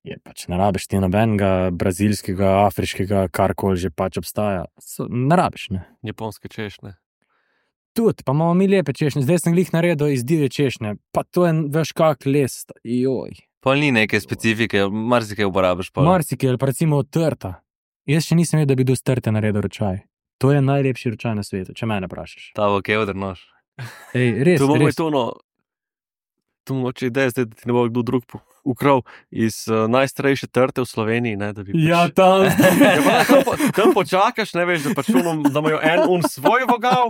je pač ne rabiš ti nobenega brazilskega, afriškega, karkoli že pač obstaja. So, ne rabiš, ne. Japonske češnje. Tudi, pa imamo mi lepe češnje, zdaj sem glih naredil iz divje češnje, pa to je, veš, kak les, joj. Pol ni neke specifike, marsikaj uporabiš. Pol. Marsikaj, ali pa recimo trta. Jaz še nisem vedel, da bi do trte naredil ročaj. To je najlepši ročaj na svetu, če mene vprašaš. Ta bo kevder nož. Ej, res, To bomo res. to, no, to mogoče ideja zdaj, da ti ne bo kdo drug po- ukral iz uh, najstarejše trte v Sloveniji, ne, da bi Ja, pač... tam. Ja, pa, ne, tam, po, tam počakaš, ne veš, da, pač unom, da imajo en un svoj vogal,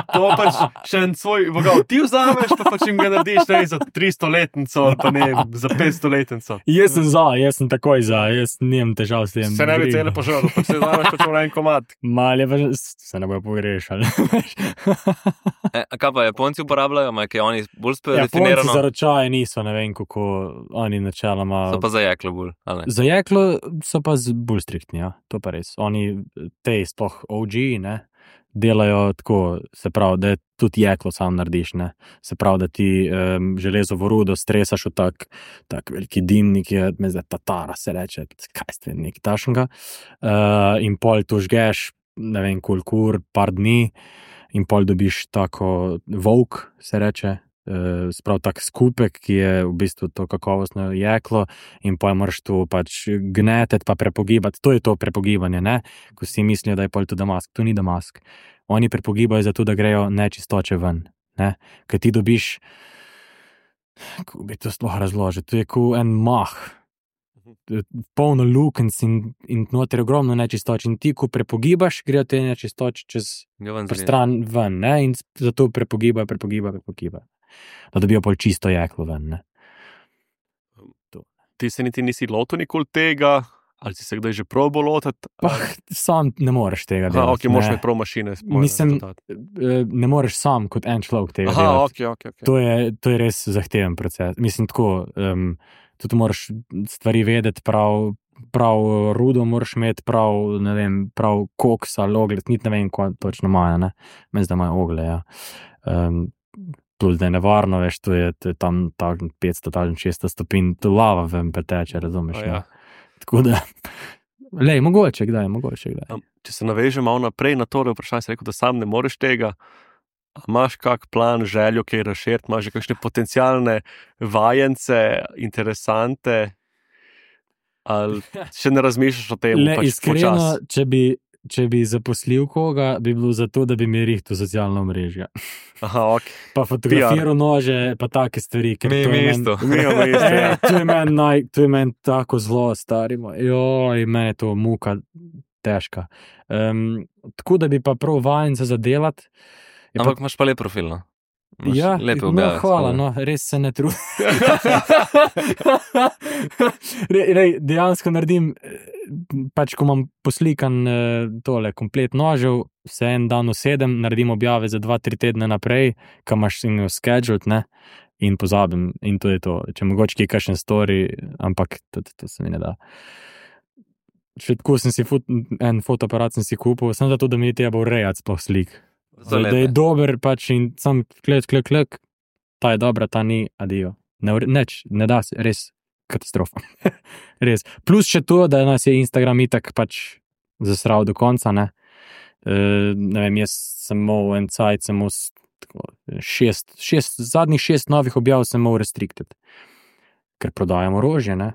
to pač še en svoj vogal ti vzameš, pa pač jim ga narediš ne, za tristoletnico ali pa ne, za petstoletnico. Jaz sem za, jaz sem takoj za, jaz nimam težav s tem. Se ne bi cele požrl, pa se vzameš pač v en komad. Mal je pa, že- se ne bojo pogrešali. E, a kaj pa Japonci uporabljajo, ma, kaj oni bolj Japonci za definirano, ročaje niso, ne vem kako, oni načeloma. so pa za jeklo bolj, ali ne? Za jeklo so pa z- bolj striktni, ja, to pa res. Oni, te sploh O G, ne, delajo tako, se pravi, da tudi jeklo sam narediš, ne. Se pravi, da ti um, železovo rudo stresaš v tak, tak veliki dimnik, je, me zdaj tatara se reče, kaj ste, nekaj tašnega. Uh, in pol to žgeš, ne vem, koliko ur, par dni, in pol dobiš tako volk, se reče, Uh, sprav tak skupek, ki je v bistvu to kakovostno jeklo in pa moraš to pač gneteti pa prepogibati. To je to prepogibanje, ne? Ko si mislijo, da je pol to damask. To ni damask. Oni prepogibajo zato, da grejo nečistoče ven, ne? Ker ti dobiš, kako bi to sploh razložil, to je kot en mah, polno lukenc in, in noter je ogromno nečistoč in ti, ko prepogibaš, grejo te nečistoče čez Ga ven zrine. stran ven, ne, in zato prepogibajo, prepogibajo, prepogibajo. Da dobijo pol čisto jeklo ven, ne. Ti se niti nisi lotil nikoli tega, ali si se kdaj že probo lotiti? Pa sam ne moreš tega Aha, delati. ok, moraš ne. imeti prav mašine. moraš Mislim, dodati. Eh, ne moreš sam kot en človek tega Aha, delati. ok, ok, ok. To je, to je res zahteven proces. Mislim, tako, um, tudi moraš stvari vedeti prav, prav rudo moraš imeti, prav, ne vem, prav koks ali ogled, niti ne vem, ko točno imajo, ne. Meni zdaj imajo ogle, ja. Um, plus, da je nevarno, veš, to je, to je tam takšen petsto, takšen šeststo stopinj, to lava ven preteče, razumeš, A ja. ne. Tako da, lej, mogoče kdaj, mogoče kdaj. Um, če se navežem malo naprej na to vprašanje, si rekel, da sam ne moreš tega. A imaš kak plan, željo, kaj razširiti, imaš že kakšne potencialne vajence, interesante? Ali še ne razmišljaš o tem? Le pač iskreno, počas? če bi, če bi zaposlil koga, bi bilo zato, da bi mi rihtel socialno mrežje. Aha, ok. Pa fotografiral nože, pa take stvari. ker Mi, to je mi meni- isto. Mi imamo isto, ja. E, to je meni naj, to je meni tako zelo starimo. Joj, meni je to muka težka. Um, tako da bi pa prav vajen se zadelati. Je pa- Ampak imaš pa lep profil, no. Imaš Ja, lepe no, objave. hvala, tako da- no, res se ne trudim. Re, re, dejansko naredim, eh, pač ko imam poslikan eh, tole komplet nožev, se en dan usedem, naredim objave za dva, tri tedne naprej, kam imaš in scheduled, ne, in pozabim, in to je to. Če mogoče kje kakšen story, ampak to, to, to se mi ne da. Še tako sem si fot, en fotoaparat sem si kupil, sem zato, da mi je treba urejati sploh slik. So Da, da je lepe. dober, pač in sam klik, klik, klik, ta je dobra, ta ni, adijo. Ne, ure- neč, ne da se, res katastrofa. Res. Plus še to, da nas je Instagram itak pač zasral do konca, ne. E, ne vem, jaz sem imel en cajt, sem imel s- tako, šest, šest, zadnjih šest novih objav sem imel restricted. Ker prodajam orožje, ne.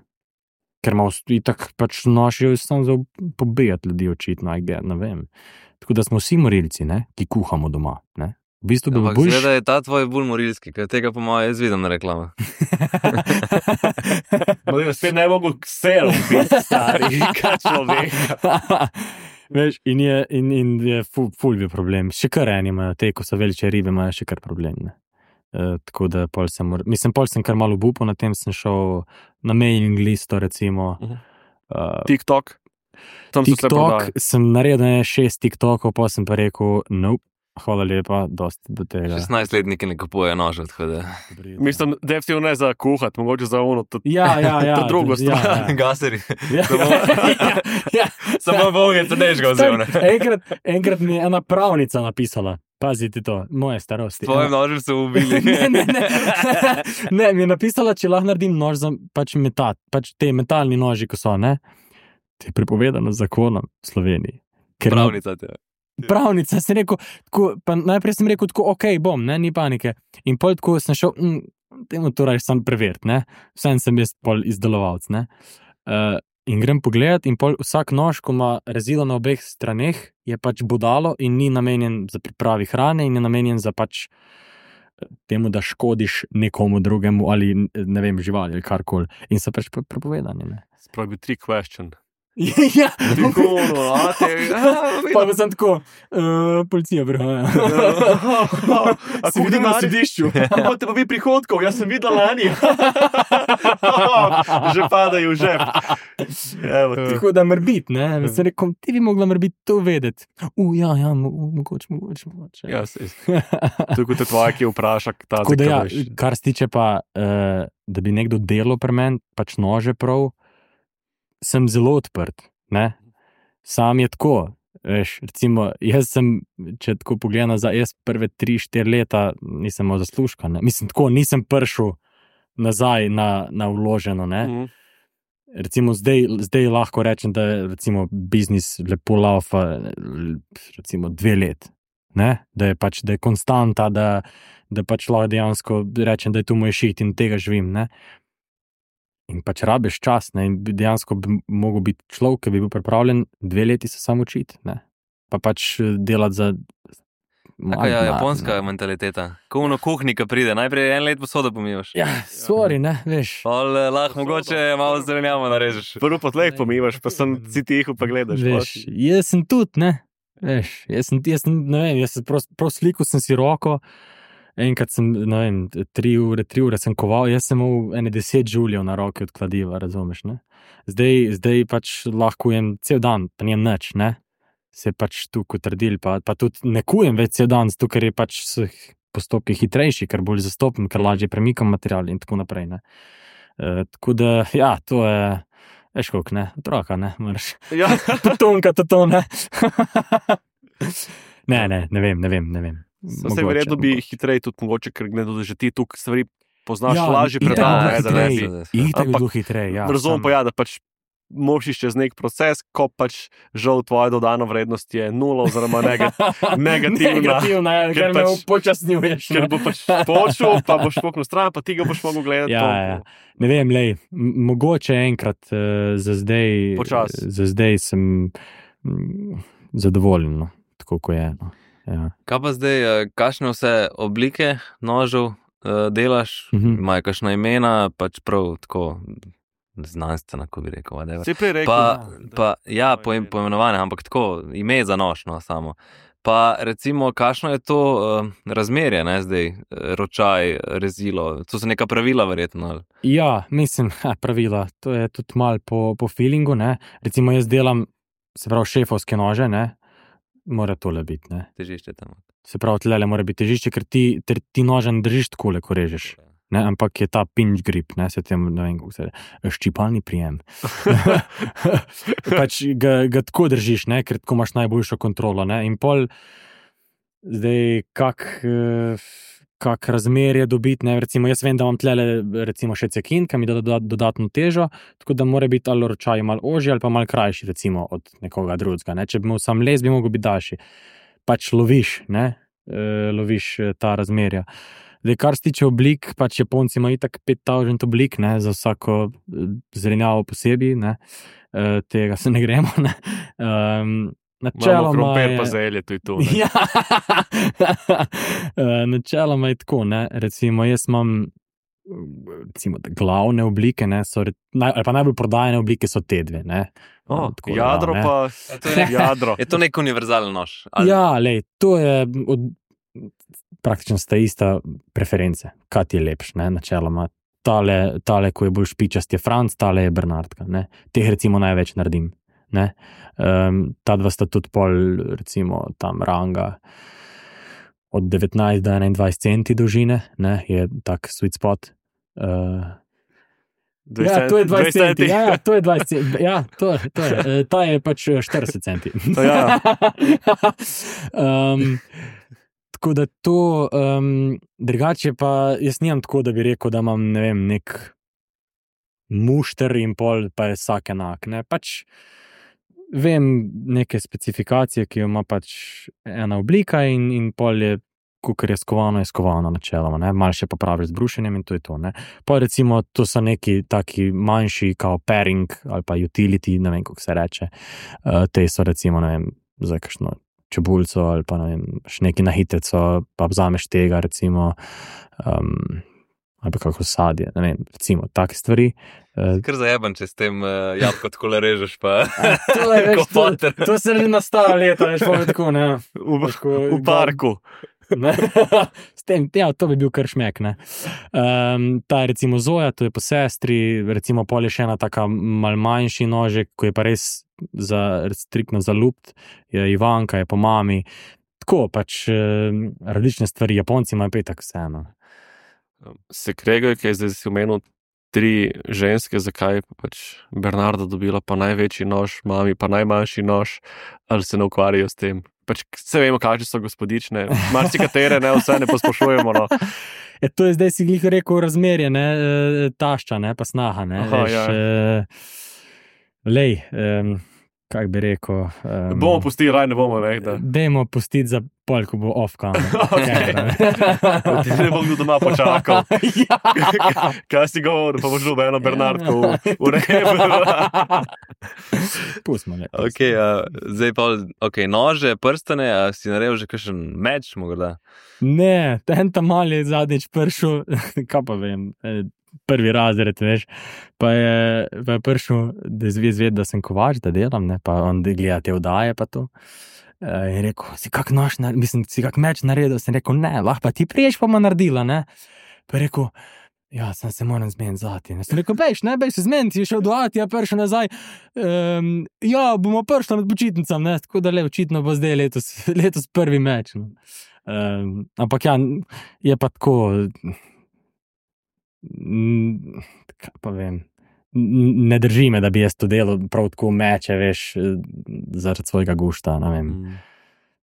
Ker imam itak pač nošijo sam za pobijati ljudi očitno, I get, ne vem. Tako da smo vsi morilci, ne, ki kuhamo doma. Ne. V bistvu bi bilo Ampak boljše. zgleda je ta tvoj bolj morilski, ker tega po mojem jaz vidim na reklamah. Model, spet ne mogo ksero biti stari, kaj človek. Veš, in je, in, in je ful, ful bi problem. Še kar eni imajo, te, ko so veliče ribe, imajo še kar problem. Ne. Uh, tako da pol sem, mor- mislim, pol sem kar malo obupal, na tem sem šel na mailing listo, recimo. Mhm. Uh, TikTok. Tam so se TikTok, prodali. sem naredil ne, šest TikTokov, pa sem pa rekel, nope, hvala lepa, dosti do tega. šestnajstletniki ne kupujejo nožev, tako da. Mislim, definitivno ne za kuhati, mogoče za ono. To, Ja, ja, ja. To drugo ja, stvar. ja. Gaseri. Ja. ja, ja. Samo Bog se nežga vzel. ne. enkrat, enkrat mi je ena pravnica napisala, pazite to, moje starosti. Tvoje nože so ubili. ne, ne, ne. ne, mi je napisala, če lahko naredim nož za pač metat, pač te metalni noži, ko so, ne. To je prepovedano z zakonom v Sloveniji. Ker ima- Pravnica te. Pravnica, sem rekel, tako, pa najprej sem rekel, tako, ok, bom, ne, ni panike. In pol tako sem šel, mm, temu to raje sam preveriti, ne. Vsem sem jaz pol izdelovalc, ne. Uh, in grem pogledat in pol vsak nož, ko ima rezilo na obeh straneh, je pač bodalo in ni namenjen za pripravi hrane in je namenjen za pač eh, temu, da škodiš nekomu drugemu ali ne vem, živali ali karkoli. In so pač pre- prepovedani, ne. Spravi tri question. ja, Tako, no, a te, pa pa sem tako, uh, policija prihaja. A Si kako videl na na sodišču? Imate pa vi prihodkov, jaz sem videl lani. Že padajo v žep. Evo ti. Tako da mrbit, ne, sem rekel, ti bi mogla mrbit to vedeti. U, ja, ja, mo- mogoče, mogoče, mogoče. Ja, sej. Tako te tvoja, ki vpraša, ta Tako da ja, zakaj. kar se tiče pa, uh, da bi nekdo delal pri meni, pač nože prav, sem zelo odprt, ne. Sam je tako, veš, recimo, jaz sem, če tako pogledam nazaj, jaz prve tri, štiri leta nisem imel zaslužka, ne. Mislim, tako, nisem prišel nazaj na, na vloženo, ne. Mhm. Recimo zdaj, zdaj lahko rečem, da je recimo biznis lepo laufa recimo dve let, ne? Da je pač, da je konstanta, da, da pač lahko dejansko rečem, da je tu moj šit in tega živim, ne? In pač rabiš čas, ne? In bi dejansko bi mogel biti človek, ki bi bil pripravljen dve leti se samo učiti, ne? Pa pač delati za Tako je japonska mentaliteta. Ko ono kuhnika pride, najprej en let posodo pomivaš. Ja, sorry, ne, veš. Pol eh, lahko mogoče malo zelenjavo narežeš. Prvo potlej pomivaš, pa sem si tiho pa gledaš. Veš, jaz sem tudi, ne, veš, jaz sem, jaz sem, ne vem, jaz sem prav, prav slikal sem si roko, enkrat sem, ne vem, tri ure, tri ure sem koval, jaz sem imel ene deset žuljev na roki od kladiva, razumeš, ne. Zdaj, zdaj pač lahko jem cel dan, pa nijem nič, ne. Se pač tu potrdil, pa, pa tudi ne kujem več cel dan, zato ker je pač s postopki hitrejši, ker bolj zastopim, ker lažje premikam material in tako naprej, ne. E, tako da, ja, to je, veš koliko, ne, otroka, ne, moraš. Ja. Potonka, to to, ne. ne, ne, ne vem, ne vem, ne vem. Vse verjetno bi hitreje tudi mogoče, ker gledam, da že ti tukaj stvari poznaš Ja, lažje itak predal, bo ne, da ne hitreje. bi. Itak bi Ampak bilo hitreje, ja. Razumem sam- pa ja, da pač moraš iti čez nek proces, ko pač žal tvoja dodana vrednost je nula oziroma negat, negativna. Negativna, ker me pač- upočasnjuješ. Ker bo pač počel, pa boš poknil stran, pa ti ga boš mogel gledati. Ja, to- ja. Ne vem, lej, m- mogoče enkrat uh, za zdaj, Počas. za zdaj sem mm, zadovoljen, no, tako kot je. No. Ja. Kaj pa zdaj, eh, kakšne vse oblike nožev eh, delaš, Mhm. imajo kakšna imena, pač prav tako znanstvena, ko bi rekel. whatever. Si prej rekel, Pa, da- pa ja, imajo poim, imena. poimenovane, ampak tako, ime za nož, no, samo. Pa recimo, kakšno je to uh, razmerje, ne, zdaj, eh, ročaj, rezilo, to so neka pravila verjetno. ali? Ja, mislim, ha, pravila, to je tudi mal po, po feelingu, ne. Recimo jaz delam, se pravi, šefovske nože, ne, mora tole biti, ne. Težišče tam. Se pravi, tlele mora biti težišče, ker ti, ter, ti noža ne držiš takole, ko režeš. Ne, ampak je ta pinch grip, ne, se tem, ne vem, kako se reče, ščipalni prijem. pač ga, ga tako držiš, ne, ker tako imaš najboljšo kontrolo, ne, in pol, zdaj, kak, eh, kak razmerje dobiti, ne, recimo, jaz vem, da imam tlele, recimo, še cekin, ki mi da doda- dodatno težo, tako da mora biti ali ročaj malo ožji ali pa malo krajši, recimo, od nekoga drugega, ne, če bi imel sam les, bi mogel biti daljši. Pač loviš, ne, e, loviš eh, ta razmerja. Zdaj, kar se tiče oblik, pač Japonci imajo itak pet tisoč oblik, ne, za vsako eh, zelenjavo posebej, ne, e, tega se ne gremo, ne. Um, Imamo načeloma krompir je- pa zelje, to je to. ne. Ja, Eh, načeloma je tako, ne, recimo jaz imam recimo, te glavne oblike, ne, so, re- naj, ali pa najbolj prodajane oblike so te dve, ne. O, Tako da, jadro ne. pa, to je nek- jadro. Je to nek univerzalen nož? Ali- Ja, lej, to je od, praktično sta ista preference, kaj ti je lepš, ne, načeloma. Tale, tale, ko je bolj špičast, je Franc, tale je Bernardka, ne. Teh recimo največ naredim, ne. Um, ta dva sta tudi pol, recimo, tam ranga od devetnajst do enaindvajset centi dolžine, ne, je tak sweet spot. Uh, ja, to je dvajset centi, ja, ja, to je dvajset centi, ja, to, to je, eh, ta je pač eh, štirideset centi. Ja. um, tako da to, um, drugače pa jaz nimam tako, da bi rekel, da imam, ne vem, nek mušter in pol, pa je vsak enak, ne, pač vem neke specifikacije, ki jo ima pač ena oblika in, in pol je, kukor je skovano, je skovano načeloma, ne, malo še popraviš z brušenjem in to je to, ne. Pa recimo, to so neki taki manjši, kao pairing ali pa utility, ne vem, kako se reče, uh, te so recimo, ne vem, za kakšno čebulco ali pa ne vem, še neki na hitreco, pa vzameš tega recimo, um, ali pa kako sadje, ne vem, recimo, take stvari. Uh, Kar zajeben, če s tem uh, jabko tako le režeš, pa to je, veš, Ko to, foter. to se že nastalo leta, veš, pa tako, ne. V, Tako, v parku. Ne? S tem, ja, to bi bil kar šmek. Um, ta je recimo Zoja, to je po sestri, recimo pol je še ena taka mal manjši nožek, ko je pa res za, striktno za lupt, je Ivanka, je po mami. Tako pač um, različne stvari, Japonci imajo pa itak vseeno. Se kregajo, kaj zdaj si omenil tri ženske, zakaj pa pač Bernarda dobila pa največji nož, mami pa najmanjši nož, ali se ne ukvarjajo s tem. Pač vse vemo, kakšne so gospodične, marsikatere, ne, vse ne pospošujemo. No. E, to je zdaj si glih rekel razmerje, ne, e, tašča, ne, pa snaha, ne, Aha, veš, ja. e, lej, um, kak bi rekel. Um, Bomo pustili, raj ne bomo, ne, da Dajmo pustiti za pol, ko bo off-cam. ti ne bom kdo doma počakal. Ja. Kaj si govoril, pa boš dobil eno Bernardko v, v rebu. Pustimo, ne. Okay, uh, zdaj pa okay, nože, prstane, a si naredil že kakšen meč, morda? Ne, ten tam mal je zadnjič prišel, kaj pa vem, eh, prvi razred, veš, pa je, pa je prišel, da je zvezd, da sem kovač, da delam, ne, pa on gleda te vdaje pa to. Uh, in rekel, si kak nož, nar- mislim, si kak meč naredil, sem rekel, ne, lahko pa ti priješ, pa ma naredila, ne. Pa je rekel, ja, sem se moram zmeniti zati. Ne. Sem rekel, bejš, ne, bejš se zmeniti, je šel do Ati, je prišel nazaj, um, ja, bomo prišli med počitnicam, ne, tako da le, očitno bo zdaj letos, letos prvi meč, no. Um, ampak ja, je pa tako, mm, kaj pa vem, n- ne drži me, da bi jaz to delal prav tako meče, veš, zaradi svojega gušta, ne vem.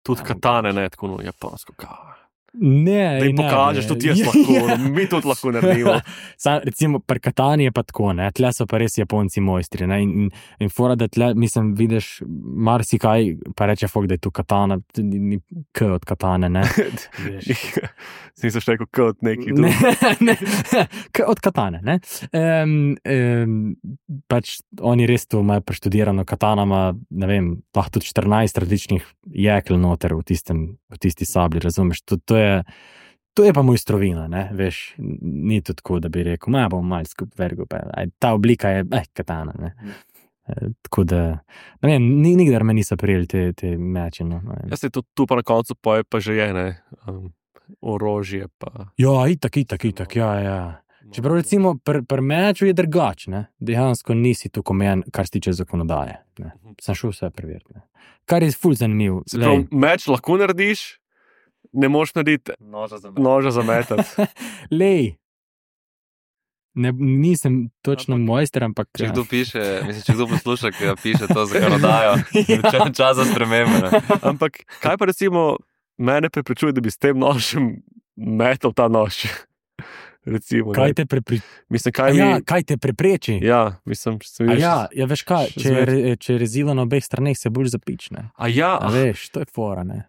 Tudi katane, ne, tako no, japonsko kava. Ne, da jim ne, pokažeš, ne. tudi jaz Ja, lahko, ja. mi tudi lahko naredimo. Sam, recimo, pri Katani je pa tako, ne, tle so pa res Japonci mojstri, ne, in, in, in fora, da tle, mislim, vidiš marsikaj, pa reče fok, da je tu Katana, ni, ni k od Katane, ne. Nisem še rekel, kot neki Ne, drugi. ne, k od Katane, ne. Um, um, pač oni res tu imajo preštudirano, Katana ima, ne vem, lahko tudi štirinajst različnih jekel noter v tistem, v tisti sabli, razumeš, to, to je To je pa mojstrovina, ne, veš, ni to tako, da bi rekel, ma bom malo skup vergo, pa aj, ta oblika je, eh, Katana, ne. E, tako da, ne vem, ni, nikdar me niso prijeli te, te meče, no. ne vem. Jaz se tu, tu pa na koncu poje pa že je, ne, um, orožje pa. Ja, itak, itak, itak, ja, ja. Čeprav recimo pri pr meču je drugač, ne, dejansko nisi tako omejen, kar se tiče zakonodaje, ne. Sem šel vse preveriti, ne. Kar je ful zanimiv. Se pravi, meč lahko narediš, ne moš narediti Noža za noža za metati. Lej, ne, nisem točno mojster, ampak Če kdo piše, mislim, če kdo posluša, ki ga piše to zakonodajo, če je čas za spremembe. ne. Ampak kaj pa recimo mene preprečuje, da bi s tem nožem metal ta nož? Recimo, kaj ne. te prepri... Mislim, kaj ja, mi... kaj te prepreči? Ja, mislim, sem A vidiš- ja, ja, veš kaj, še če je, zmeraj- re- če je rezilo na obeh straneh, se bolj zapične. A ja, A veš, to je fora, ne.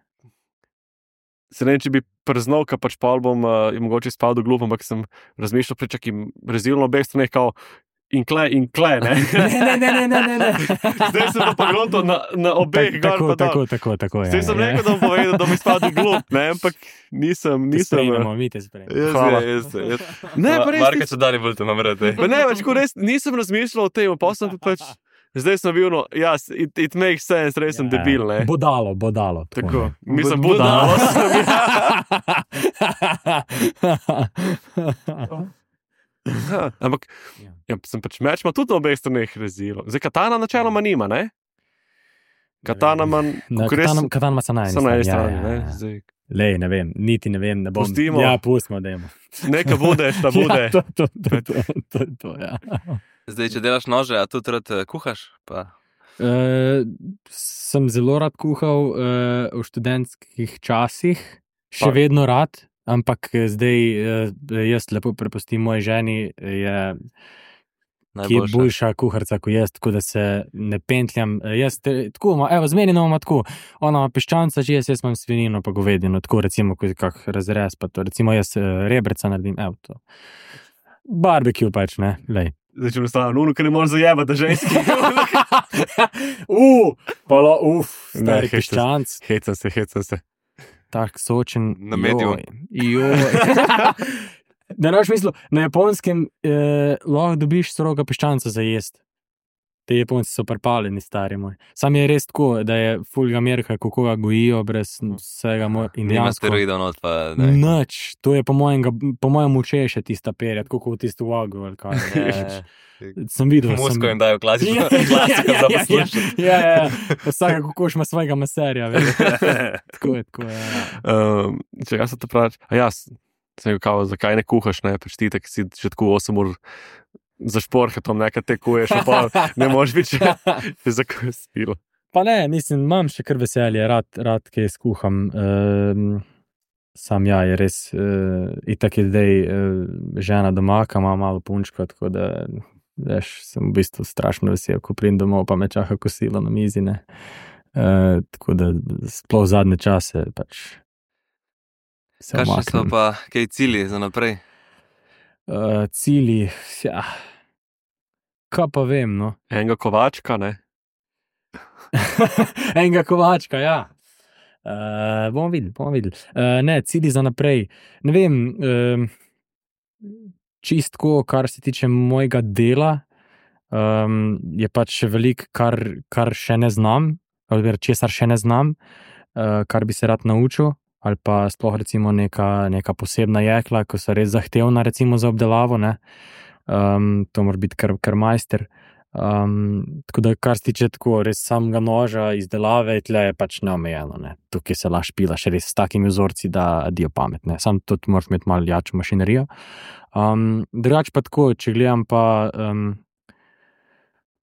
se ne vem, če bi prznal, ka pač pol bom uh, mogoče spal do glup, ampak sem razmišljal, pričak jim rezil na obeh straneh, kao in kle, in kle, ne. Ne, ne, ne, ne, ne, ne. Zdaj sem pa pogledal na, na obeh Tak- gor tako, pa dol. tako, tako, tako, ja. Zdaj sem ja. rekel, da bom povedal, da mi spadi glup, ne, ampak nisem, Te nisem. sprejmemo, mi te sprejmemo. Jaz, Hvala. Jaz, jaz, jaz. Ne, pa res Marka, če dali bolj te namrete. Pa ne, več ko res nisem razmišljal o tem, pa sem pa pač, zdaj sem bil, no, ja, it, it makes sense, res sem Ja, debil, ne. Bodalo, bodalo. Tako, ne. mislim, Bod- budalo sem, ja. Ampak, Ja. ja, sem pač meč, ima tudi na obeh straneh rezilo. Zdaj, katana načeloma nima, ne? Katana ima, Na kako res, Katana, Katana ima se na eni samo na eni strani, strani, ja, ne? ja, ja. Zdaj, Lej, ne vem, niti ne vem, ne bom. Pustimo. Ja, pustimo, dajmo. neka bude, šta bude. Ja, to, to, to, to, to, to, ja. Zdaj, če delaš nože, a tudi rad eh, kuhaš? Pa... Uh, sem zelo rad kuhal uh, v študentskih časih, še Pa- vedno rad, ampak eh, zdaj uh, jaz lepo prepustim moji ženi, je, ki je Najboljša. boljša kuharica kot jaz, tako da se ne pentljam. Eh, Jaz te, tako, ima- evo, zmerino imamo tako, ona ima piščanca, že jaz, jaz imam svinino pa govedino, tako recimo, kot kak razrez, pa to, recimo jaz uh, rebrca naredim, evo to. Barbecue pač, ne, lej. Zdaj, če enostavno, nuno, ki ne moreš zajebati, da ženski. uh, pa lo, uf, Ne, stari hecam se. piščanc. Hecam se, hecam se. Tak sočen. Na mediju. Joj. Da ne boš mislil, na Japonskem eh, lahko dobiš stroga piščanca za jest. Te Japonci so prepaleni, stari moj. Sam je res tako, da je fulga merka, kako ga gojijo brez vsega mo- in Nima dejansko. steroidov not, pa ne. Nič, to je po mojem, ga- po mojem učeše tista perja, tako kot v tisto vagu ali kaj. Sem videl, sem... Musko jim dajo klasično, Ja, ja, klasiko ja, za ja, poslušati. Ja, ja, ja. Vsaka kokoš ima svojega meserja, veš. Tako je, tako je. Ja. Um, če jaz se to pravi, a jaz sem rekel, kao, zakaj ne kuhaš, ne, pač ti tako si že tako osem ur za šporhetom nekaj tekuješ, pa ne moreš biti še za kosilo. Pa ne, mislim, imam še kar veselje, rad, rad kaj skuham. Um, sam ja, je res, uh, itak je zdaj uh, žena doma, ki ima malo punčko, tako da, veš, sem v bistvu strašno vesel, ko pridem domov, pa me čaka kosilo na mizi, ne. Uh, tako da, sploh zadnje čase, pač se Kakšni so umaknem. pa kaj cilji za naprej? Uh, cilji, ja, kaj pa vem, no. Enega kovačka, ne? Enega kovačka, ja. Uh, bomo videli, bomo videli. Uh, ne, cilji za naprej. Ne vem, um, čistko, kar se tiče mojega dela, um, je pač še veliko, kar, kar še ne znam, ali česar še ne znam, uh, kar bi se rad naučil, ali pa sploh recimo neka, neka posebna jekla, ko so res zahtevna recimo za obdelavo, ne. Um, to mora biti kar, kar majster. Um, tako da, kar se tiče tako res samega noža, izdelave, tle je pač neomejeno. Ne. Tukaj se lahko špilaš res s takimi vzorci, da dio pametne. Sam tudi moraš imeti malo jačo mašinerijo. Um, drugače pa tako, če gledam pa, um,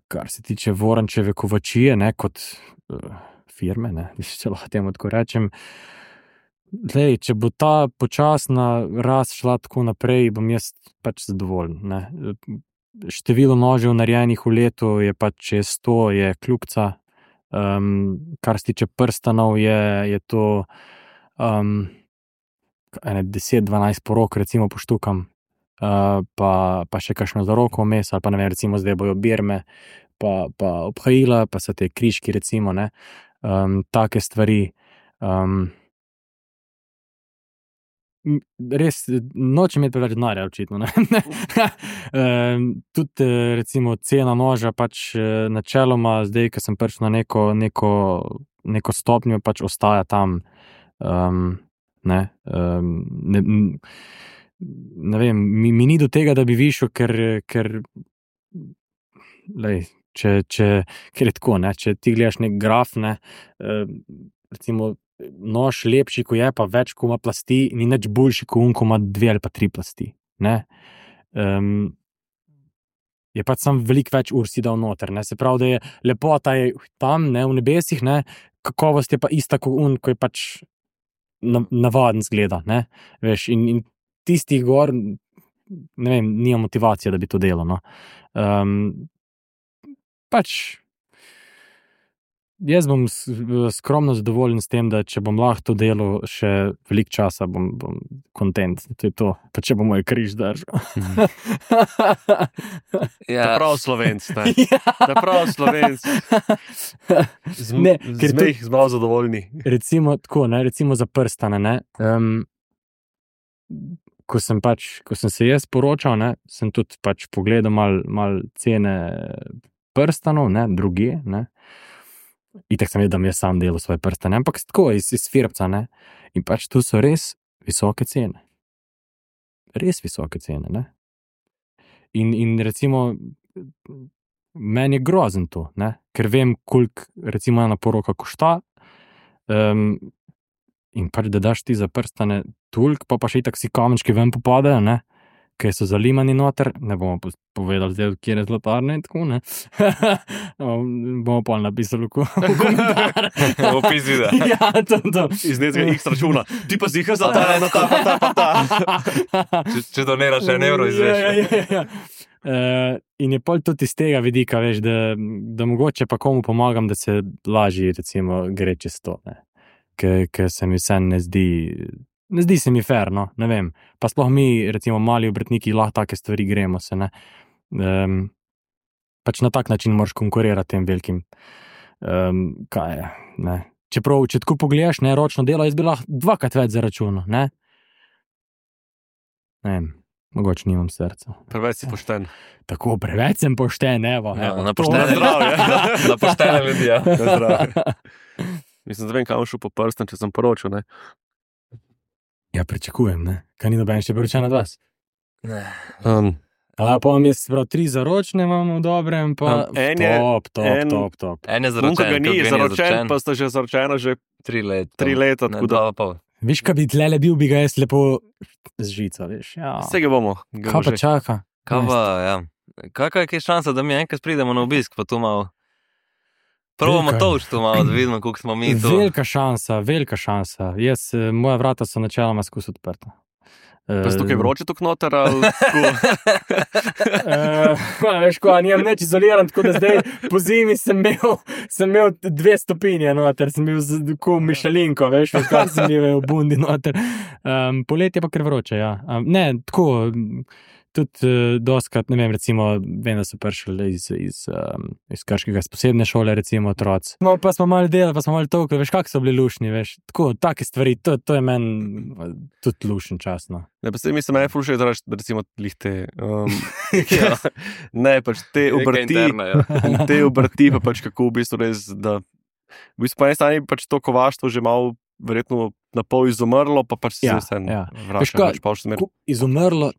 kar se tiče Vorančeve kovačije, ne, kot uh, firme, ne, če lahko temu tako rečem, Lej, če bo ta počasna rast šla tako naprej, bom jaz pač zadovoljen. Ne. Število nožev narejenih v letu je pač čez sto, je kljubca. Um, kar se tiče prstanov, je, je to um, deset dvanajst porok, recimo poštukam, uh, pa, pa še kakšno za roko vmes, ali pa ne vem, recimo zdaj bojo birme, pa, pa obhajila, pa so te križki, recimo, ne. Um, take stvari. Um, Res, nočem imeti preveč denarja, očitno. Ne? um, tudi recimo cena noža, pač načeloma, zdaj, ko sem prišel na neko, neko, neko stopnjo, pač ostaja tam. Um, ne, um, ne, ne vem, mi, mi ni do tega, da bi višel, ker, ker, lej, če, če, ker je tako, ne? Če ti gledaš nek graf, ne, um, recimo, nož lepši, ko je, pa več, ko ima plasti, ni nič boljši, ko un, ko ima dve ali pa tri plasti. Ne? Um, je pač sam veliko več ur si dal noter. Ne? Se pravi, da je lepota je tam, ne, v nebesih, ne? Kakovost je pa ista, ko un, ko je pač navaden zgleda. Ne? Veš, in, in tistih gor, ne vem, nima motivacije, da bi to delal. No? Um, pač Jaz bom skromno zadovoljen s tem, da če bom lahko to delal še veliko časa, bom, bom kontent. To je to, pa če bom moj križ držal. Ja. Da prav Slovenc, ne. Da prav Slovenc. Z, ne, ker smo jih zelo zadovoljni. Recimo tako, ne, recimo za prstane, ne. Um, ko sem pač, ko sem se jaz poročal, ne, sem tudi pač pogledal mal, mal cene prstanov, ne, druge, ne. Itak sem vedel, da mi je sam delal svoje prstane, ampak tako iz, iz firpca, ne. In pač tu so res visoke cene. Res visoke cene, ne. In, in recimo, meni je grozen to, ne, ker vem, koliko recimo ena poroka košta, um, in pač da daš ti za prstane toliko, pa pa še itak si kamenčki ven popadajo, ne, ker so zalimani noter, ne bomo povedali zdaj, kjer je zlatarne in tako, ne. Bomo pa napisali v komentar. Opis videa. Ja, to, to. Iz nekega X računa. Ti pa ziha zlatarne, ta, pa ta, pa ta. Če, če doniraš en evro, izveš. Ja, ja, ja. Uh, in je pol tudi iz tega vidika, veš, da, da mogoče pa komu pomagam, da se lažje, recimo, gre čez to, ne. Ker se mi vse ne zdi... Ne zdi se mi fair, no, ne vem. Pa sploh mi, recimo, mali obrtniki, lahko take stvari gremo se, ne. Um, pač na tak način moraš konkurirati tem velikim. Um, kaj je, ne. Čeprav, če tako pogledaš, ne, ročno delo, jaz bi lahko dvakrat več zaračunal, ne. Ne vem, mogoče nimam srca. Preveč si pošten. Tako, preveč sem pošten, evo. Ja, evo na poštene zdravje. Na poštene ljudi, ja. Mislim, da vem, kam šel po prstem, če sem poročil, ne. Ja, pričakujem, ne. Kaj ni noben še poročen od vas? Ne. Um, A pa vam jaz prav tri zaročne imamo v dobrem, pa Um, en je- top, top, en- top, top. En je Unka zaročen, ga ni, kako zaročen, pa sta že zaročena že tri leta. tri leta, Ne, tako da dva pa pol. Viš, kaj bi tlele bil, bi ga jaz lepo z žico, veš. Ja. vsega bomo. ga Kaj bo pa že. čaka? Kaj pa, ja. Kakva je kaj šansa, da mi enkrat pridemo na obisk, pa tu malo... Probamo Velika. toč tu malo, da vidimo, koliko smo mi tu. Velika šansa, velika šansa. Jaz, eh, moja vrata so načeloma skus odprta. Pa si tukaj vroče tuk noter, ali tako? Uh, veš, ko, nimam neč izoliran, tako da zdaj po zimi sem imel, sem imel dve stopinje noter, sem bil tako mišelinko, veš, kaj sem bil v bundi noter. Um, poletje pa kar vroče, ja. Um, ne, tako, tudi uh, doskrat, ne vem, recimo, vem, da so prišli iz, iz, um, iz Krškega, iz posebne šole, recimo, otroci. No, pa smo malo delali, pa smo malo tolkli, veš, kak so bili lušni, veš, tako, take stvari, to, to je meni tudi lušen čas, no. Ne, pa se mi se meni ful všeč, da recimo lihte. Um, ja. Ne, pač te Neka obrti, interna, ja. te obrti pa pač kako v bistvu res, da v bistvu po eni strani pač to kovaštvo že malo verjetno na pol izumrlo, pa pač se Ja, vse ja. vrača, Veš kaj, pač pa v smer. Ko izumrlo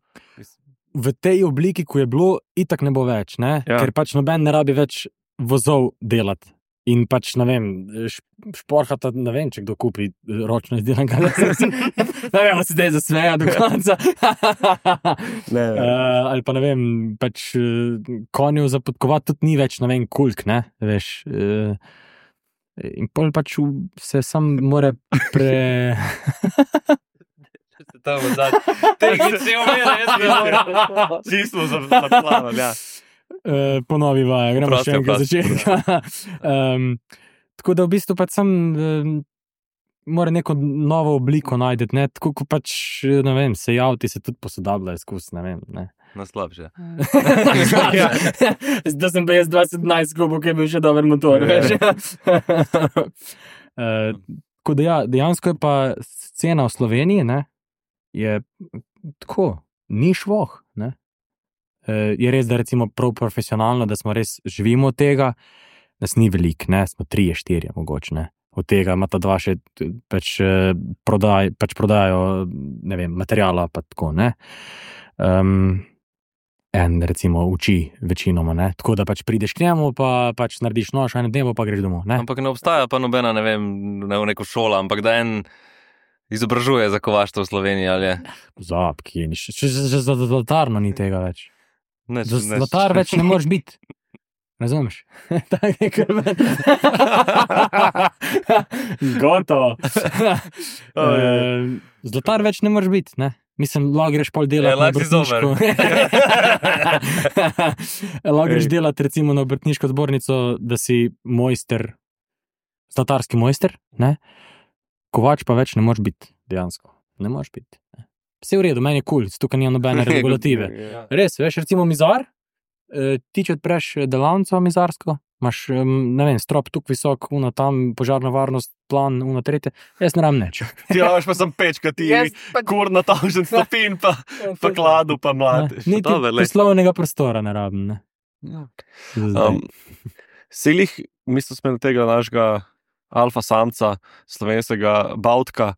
v tej obliki, ko je bilo, itak ne bo več, ne? Ja. Ker pač noben ne rabi več vozov delati. In pač, ne vem, šporhata, ne vem, če kdo kupi ročno izdelanega. Ne vem, se zdaj zasmeja do konca. Ne, Uh, ali pa ne vem, pač uh, konjev za podkovati tudi ni več, ne vem, kulk, ne, veš. Uh, In pol pač v- se sam more pre... To bo zdaj. Tehnični umere, jaz bi moral. Čisto zaplavali, ja. Uh, ponovi vaja, gremo Prosti še enkrat aplauz. začetka. um, tako da v bistvu pač sam um, mora neko novo obliko najti, ne, tako kot pač, ne vem, se javti se tudi posodabljajo skozi, ne vem, ne. Na slabše. Zdaj sem pa jaz dvajset enajst klubov, ki je bil še dober motor, veš. uh, tako da ja, dejansko je pa scena v Sloveniji, ne, je tako, ni švoh, ne. Uh, je res, da recimo prav profesionalno, da smo res živimo od tega, nas ni veliko, ne, smo trije, štirje mogoče, ne. Od tega ima ta dva še pač, eh, prodaj, pač prodajo, ne vem, materijala pa tako, ne. Um, en recimo uči večinoma, ne. Tako da pač prideš k njemu, pa pač narediš nož, en dnevo pa greš domov, ne. Ampak ne obstaja pa nobena, ne vem, ne v neko šolo, ampak da en izobražuje za kovaštvo v Sloveniji, ali je? Zap, ki je, še, še, še za zlatarno ni tega več. Neč, Za zlatar več ne moreš biti. Razumeš? Tako je kar meni. Gotovo. Eh, Zlatar več ne moreš biti, ne? Mislim, lahko greš pol delati Ja, na lahko si zober. obrtniško. Lahko greš delati recimo na obrtniško zbornico, da si mojster, zlatarski mojster, ne? Kovač pa več ne moreš biti, dejansko. Ne moreš biti. ne. Vse v redu, meni je kul, cool, tukaj nima nobene regulative. Ja. Res, veš, recimo mizar, eh, ti če odpreš delavnico mizarsko, imaš, em, ne vem, strop tukaj visok, una tam, požarna varnost, plan, una tretje, jaz ne rabim nič. Ti rabiš pa sem pečka, ti kur na tavžen stopin, pa, pa kladu, pa mladiš. Niti Dobro, lej. poslovnega prostora ne rabim, ne. Za zdaj. Um, Selih, mislim, smo tega našega alfa samca, slovenskega Bautka.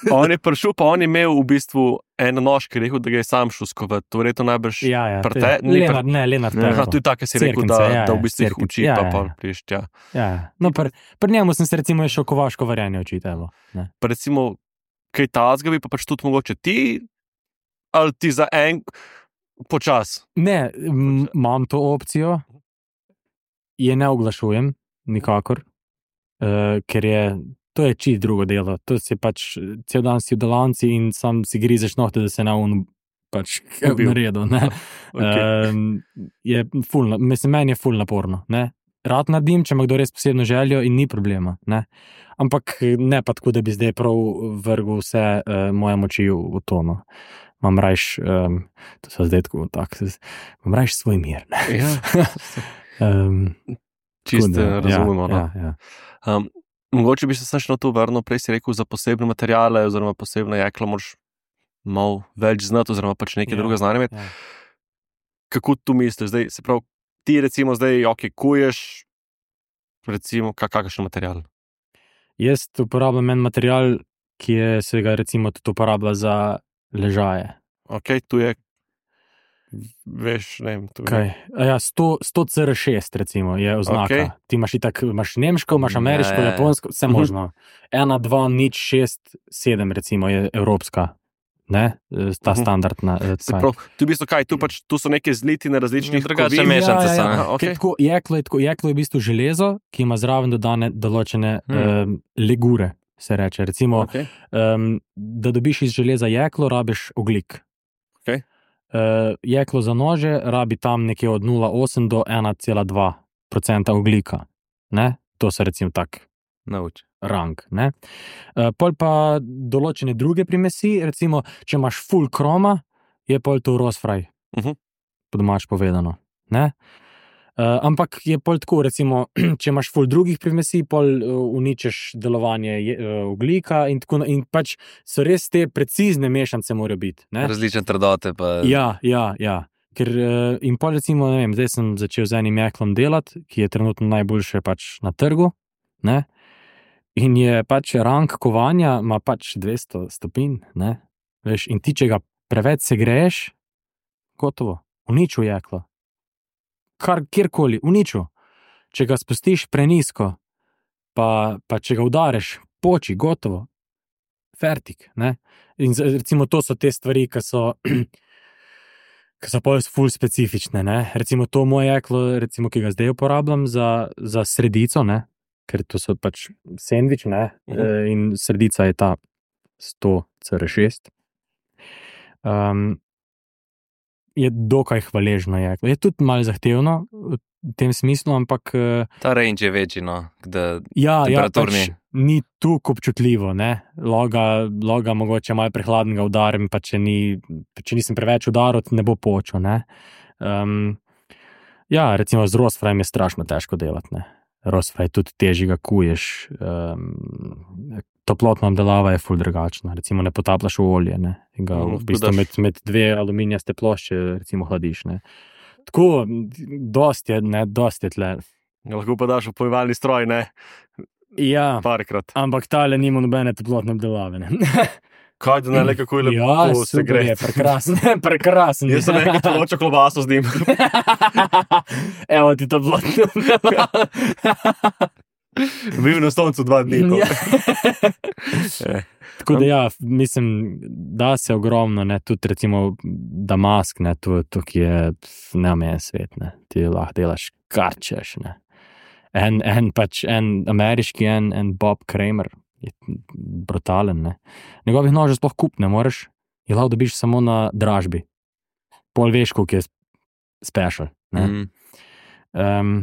On je prišel, pa on je imel v bistvu en nož, ki je rekel, da ga je sam šel skovati. To verjetno najbrž. Ja, ja, prte- te- ni Lenart, ne, Lenart. Ja, Tervo. to je tako, si rekel, Cerknice, da, ja, da v ja, bistvu jih Cerknice, uči, ja, pa ja, pa ja. priješ tja. Ja, ja. No, pri, pri njemu sem se recimo šel kovaško varjanje učiti, evo. Ne. Pa recimo, kaj tazga bi pa pač tudi mogoče ti, ali ti za en počas. Ne, m- imam to opcijo, je ne oglašujem, nikakor, uh, ker je, to je čist drugo delo, to si pač, cel dan si v delavnici in sam si grizeš nohte, da se na un pač Ubil. naredil, ne. Okay. Um, je ful, na- mislim, meni je ful naporno, ne. Rad naredim, če ima kdo res posebno željo in ni problema, ne. Ampak ne pa tako, da bi zdaj prav vrgel vse uh, moje moči v, v to, no. Imam rajš, um, to so zdaj tako, tak, imam rajš svoj mir, ne. Ja, Um, čisto tako da, razumemo. Ja, no. ja, ja. Um, mogoče bi se še na to vrnil, prej si rekel za posebne materiale, oziroma posebne jeklo, moraš malo več znati, oziroma pač nekaj Ja, drugega znanja imeti. ja. Kako tu misliš? Zdaj, se pravi, ti recimo zdaj, ok, kuješ, recimo, kak, kakšen material? Jaz uporabljam en material, ki je, se ga recimo tudi uporablja za ležaje. Ok, tu je, veš, ne vem, tu je. Kaj? A Ja, sto, sto C R šest recimo je oznaka. Okej. Ti imaš itak, imaš nemško, imaš ameriško, Ja, ja, ja. japonsko, vse Mhm. možno. Ena, dva, nič, šest, sedem recimo je evropska. Ne? Ta Mhm. standardna. eh, Se kaj. pravi, tu, v bistvu kaj, tu, pač, tu so neke zlitine različnih Drugače kovin. mešanice so, ne? Aha, Ker okay. tako, jeklo, je tako, jeklo je v bistvu železo, ki ima zraven dodane določene Hmm. um, legure, se reče. Recimo, Okay. um, da dobiš iz železa jeklo, rabiš ogljik. Okej. Uh, jeklo za nože rabi tam nekje od nula celih osem do ena celih dva procenta ogljika. Ne? To so recimo tak Nauči. rang. Ne? Uh, pol pa določene druge primesi, recimo, če imaš full kroma, je pol to rosfraj, Mhm. po domač povedano. Ne? Uh, ampak je pol tako, recimo, če imaš full drugih primesi, pol uh, uničiš delovanje je, uh, ogljika in tako na- in pač so res te precizne mešanice morajo biti. Ne? Različne trdote pa... Ja, ja, ja. Ker, uh, in pol recimo, ne vem, zdaj sem začel z enim jeklom delati, ki je trenutno najboljše pač na trgu, ne? In je pač rang kovanja, ima pač dvesto stopinj, ne? Veš, in ti, če ga preveč segreješ, gotovo, uničil jeklo. Kar kjerkoli, uničil. Če ga spustiš prenizko, pa, pa če ga udariš, poči, gotovo, fertik, ne? In z- recimo to so te stvari, ki so ki so pa ful specifične, ne? Recimo to moje jeklo, recimo, ki ga zdaj uporabljam za, za sredico, ne? ker to so pač sendvič, ne, Mhm. uh, in sredica je ta sto C R šest. Um, je dokaj hvaležno jeklo. Je tudi malo zahtevno v tem smislu, ampak uh, Ta range je večji, no, da ja, ja, temperaturni. pač ni tukaj občutljivo, ne. Loga, loga mogoče malo prehladnega udarim, pa če, ni, če nisem preveč udaril, ne bo počel, ne. Um, ja, recimo z rostfrajem je strašno težko delati, ne. Rostfraj tudi težji ga kuješ, um, toplotna obdelava je ful drugačna, recimo ne potapljaš v olje, ne, in ga Mhm, v bistvu dodaš- med, med dve aluminijaste plošče recimo hladiš, ne. Tako, dosti je, ne, dosti je tle. Lahko pa daš v pojevalni stroj, ne, Ja, parkrat. ampak tale nima nobene toplotne obdelave, ne. Kaj da ne, le kako je lepo Ja, se super gre. je, prekrasen, prekrasen. Jaz sem nekaj toločo klobaso z njim. Evo ti toplotne obdelave. Bil na soncu dva dni. to. Ja. Eh, Tako da ja, mislim, da se ogromno, ne, tudi recimo Damask, ne, to, to ki je neomejen svet, ne, ti lahko delaš kar češ, ne. En, en pač, en ameriški, en, en Bob Kramer je brutalen, ne. Njegovih nožev sploh kup ne moreš, je lahko dobiš samo na dražbi. Pol veš, koliko je special, ne. Mm. Um,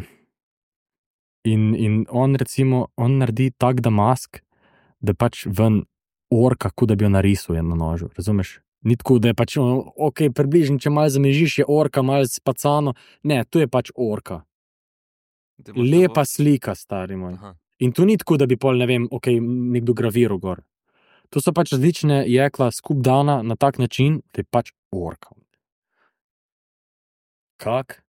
in, in on recimo, on naredi tak Damask, da pač ven orka, kot da bi jo narisal na nožu, razumeš? Ni tako, da je pač, ok, približno, če malo zamežiš, je orka, malo spacano. Ne, to je pač orka. Da imaš Lepa to- slika, stari moj. Aha. In to ni tako, da bi pol, ne vem, ok, nekdo graviral gor. To so pač različne jekla skup dana na tak način, da je pač orka. Kak?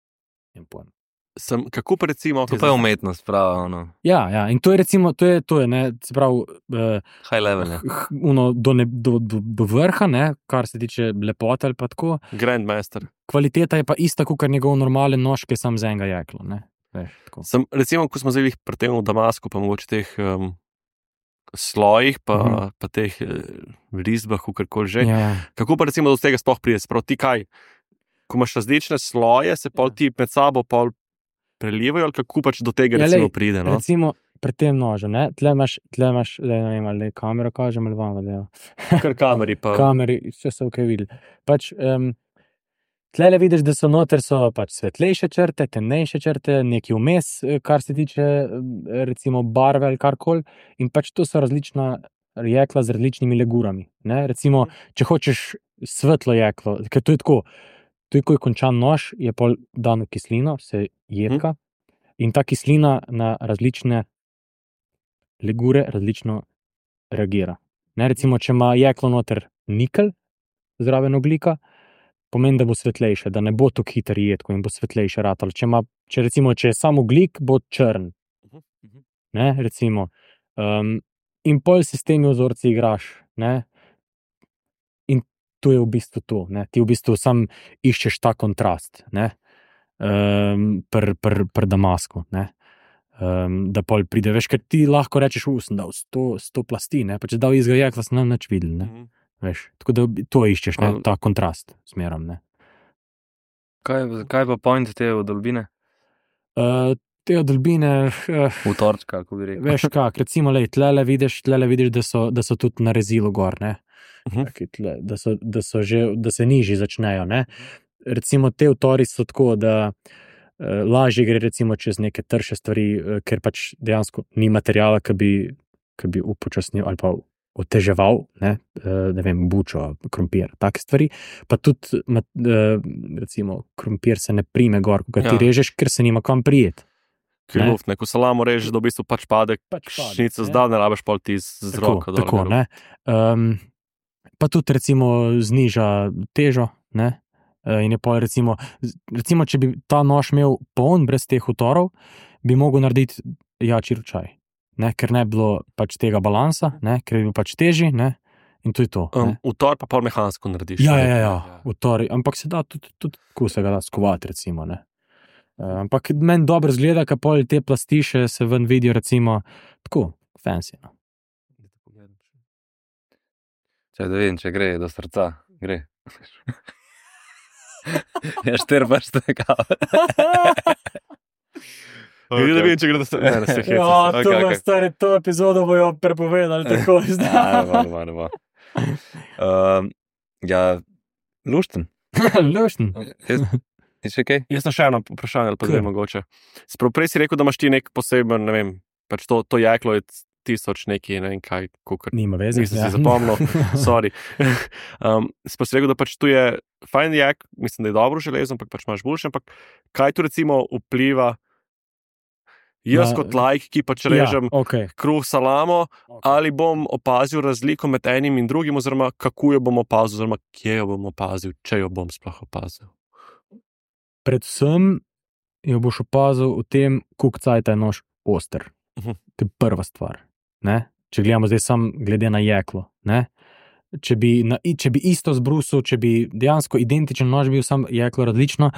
Nem pojem. Sem, kako pa recimo... To pa je umetnost, prav, ono, Ja, ja, in to je recimo, to je, to je, ne, se pravi, uh, high level. Je. h- uno, do, ne, do, do, do vrha, ne, kar se tiče lepote ali pa tako. Grandmaster. Kvaliteta je pa ista, kot njegov normalen nož, ki je sam z enega jekla. Ne. Veš, tako. Sem, recimo, ko smo zdaj pri tem v Damasku, pa mogoče teh um, slojih, pa, uh Mhm. -huh. pa teh uh, risbah, kakorkoli že. Ja, Kako pa recimo do tega sploh pride? Sprav ti kaj? Ko imaš različne sloje, se pol Ja. ti med sabo pol prelivajo, ali kako pač do tega Ja, recimo lej, pride? No? recimo pri tem nožu, ne, tle imaš, tle imaš, le, ne vem, ali kamero kažem ali vam, da Kar kameri pa. kameri, vse so ok videli. Pač, um, tle vidiš, da so noter so pač svetlejše črte, temnejše črte, neki vmes, eh, kar se tiče eh, recimo barve ali karkoli, in pač to so različna jekla z različnimi legurami. Ne? Recimo, če hočeš svetlo jeklo, ker to je tako, to je, ko je končan nož, je pol dano kislino, se jedka, in ta kislina na različne legure različno reagira. Ne? Recimo, če ima jeklo noter nikel, zraven ogljika, pomeni, da bo svetlejše, da ne bo tako hiter jedko in bo svetlejše ratalo. Če, ima, če recimo, če je samo ogljik, bo črn. Ne, recimo. Um, in pol se s temi vzorci igraš. Ne? In to je v bistvu to. Ne? Ti v bistvu sam iščeš ta kontrast. Um, Pri pr, pr Damasku. Ne? Um, da pol pride, veš, ker ti lahko rečeš, da sem dal sto, sto plasti, ne? Pa če dal izga jekla, sem nič videl. Ne? Mhm. Veš, tako da to iščeš, ne? Al- Ta kontrast smeram. Ne? Kaj, kaj pa point te vdolbine? Uh, te odolbine, uh, V torčka, kako bi rekel. veš kak, recimo, lej, tlele vidiš, tlele vidiš da, so, da so tudi na rezilu gor, ne? Mhm. Taki tle, da, so, da, so že, da se nižji začnejo. Ne? Recimo te vtori so tako, da uh, lažje gre recimo čez neke trše stvari, uh, ker pač dejansko ni materijala, ki bi, ki bi upočasnil ali pa oteževal, ne, uh, ne vem, bučo, krompir, take stvari. Pa tudi, mat, uh, recimo, krompir se ne prime gor, ko ga ti Ja. režeš, ker se nima kam prijeti. Ker je Ne. luft, ne, ko salamo režeš, da v bistvu pač pade, Pač pade, šnica ne. zdaj, ne rabiš pol ti z, z Tako, roko. dol tako, gor. ne. Um, pa tudi recimo zniža težo, ne. E, In je pol recimo, z- recimo, če bi ta nož imel poln brez teh utorov, bi mogel narediti jači ročaj, ne, ker ne bi bilo pač tega balansa, ne, ker je bil pač težji, ne, in to je to. Um, Ne. Utor pa pol mehansko narediš. Ja, ne. ja, ja, utori, ampak se da tudi, tudi tako se ga da skovati, recimo, ne. E, Ampak meni dobro zgleda, ker pol te plasti še se ven vidijo, recimo, tako, fancy, no. Če da vidim, če gre do srca, gre. Ja, štir pač tega. Vidim, da vidim, če gre da se ne, ne se heca. Ja, Okay, to okay. okay. Stari, to epizodo bojo prepovedali tako. Ja, ne bo, ne bo, ne bo. Um, ja, lušten. Lušten. Je še kaj? Jaz sem še eno vprašanje, ali pa Kaj? dve mogoče. Sprav prej si rekel, da imaš ti nek poseben, ne vem, pač to, to jeklo je tisoč neki, ne vem kaj, kukar. Nima veze. Nisem si zapomnil, sorry. Um, Sprav si rekel, da pač tu je fajn jek, mislim, da je dobro železo, ampak pač imaš boljše, ampak kaj tu recimo vpliva jaz Na- kot laik, ki pač režem Ja, okay. kruh salamo, ali bom opazil razliko med enim in drugim, oziroma kako jo bom opazil, oziroma kje jo bom opazil, če jo bom sploh opazil. Predvsem jo boš opazil v tem, koliko cajta je nož oster. Mhm. To je prva stvar. Ne? Če gledamo zdaj sam glede na jeklo. Ne? Če, bi na, če bi isto zbrusil, če bi dejansko identičen nož bil, sam jeklo različno,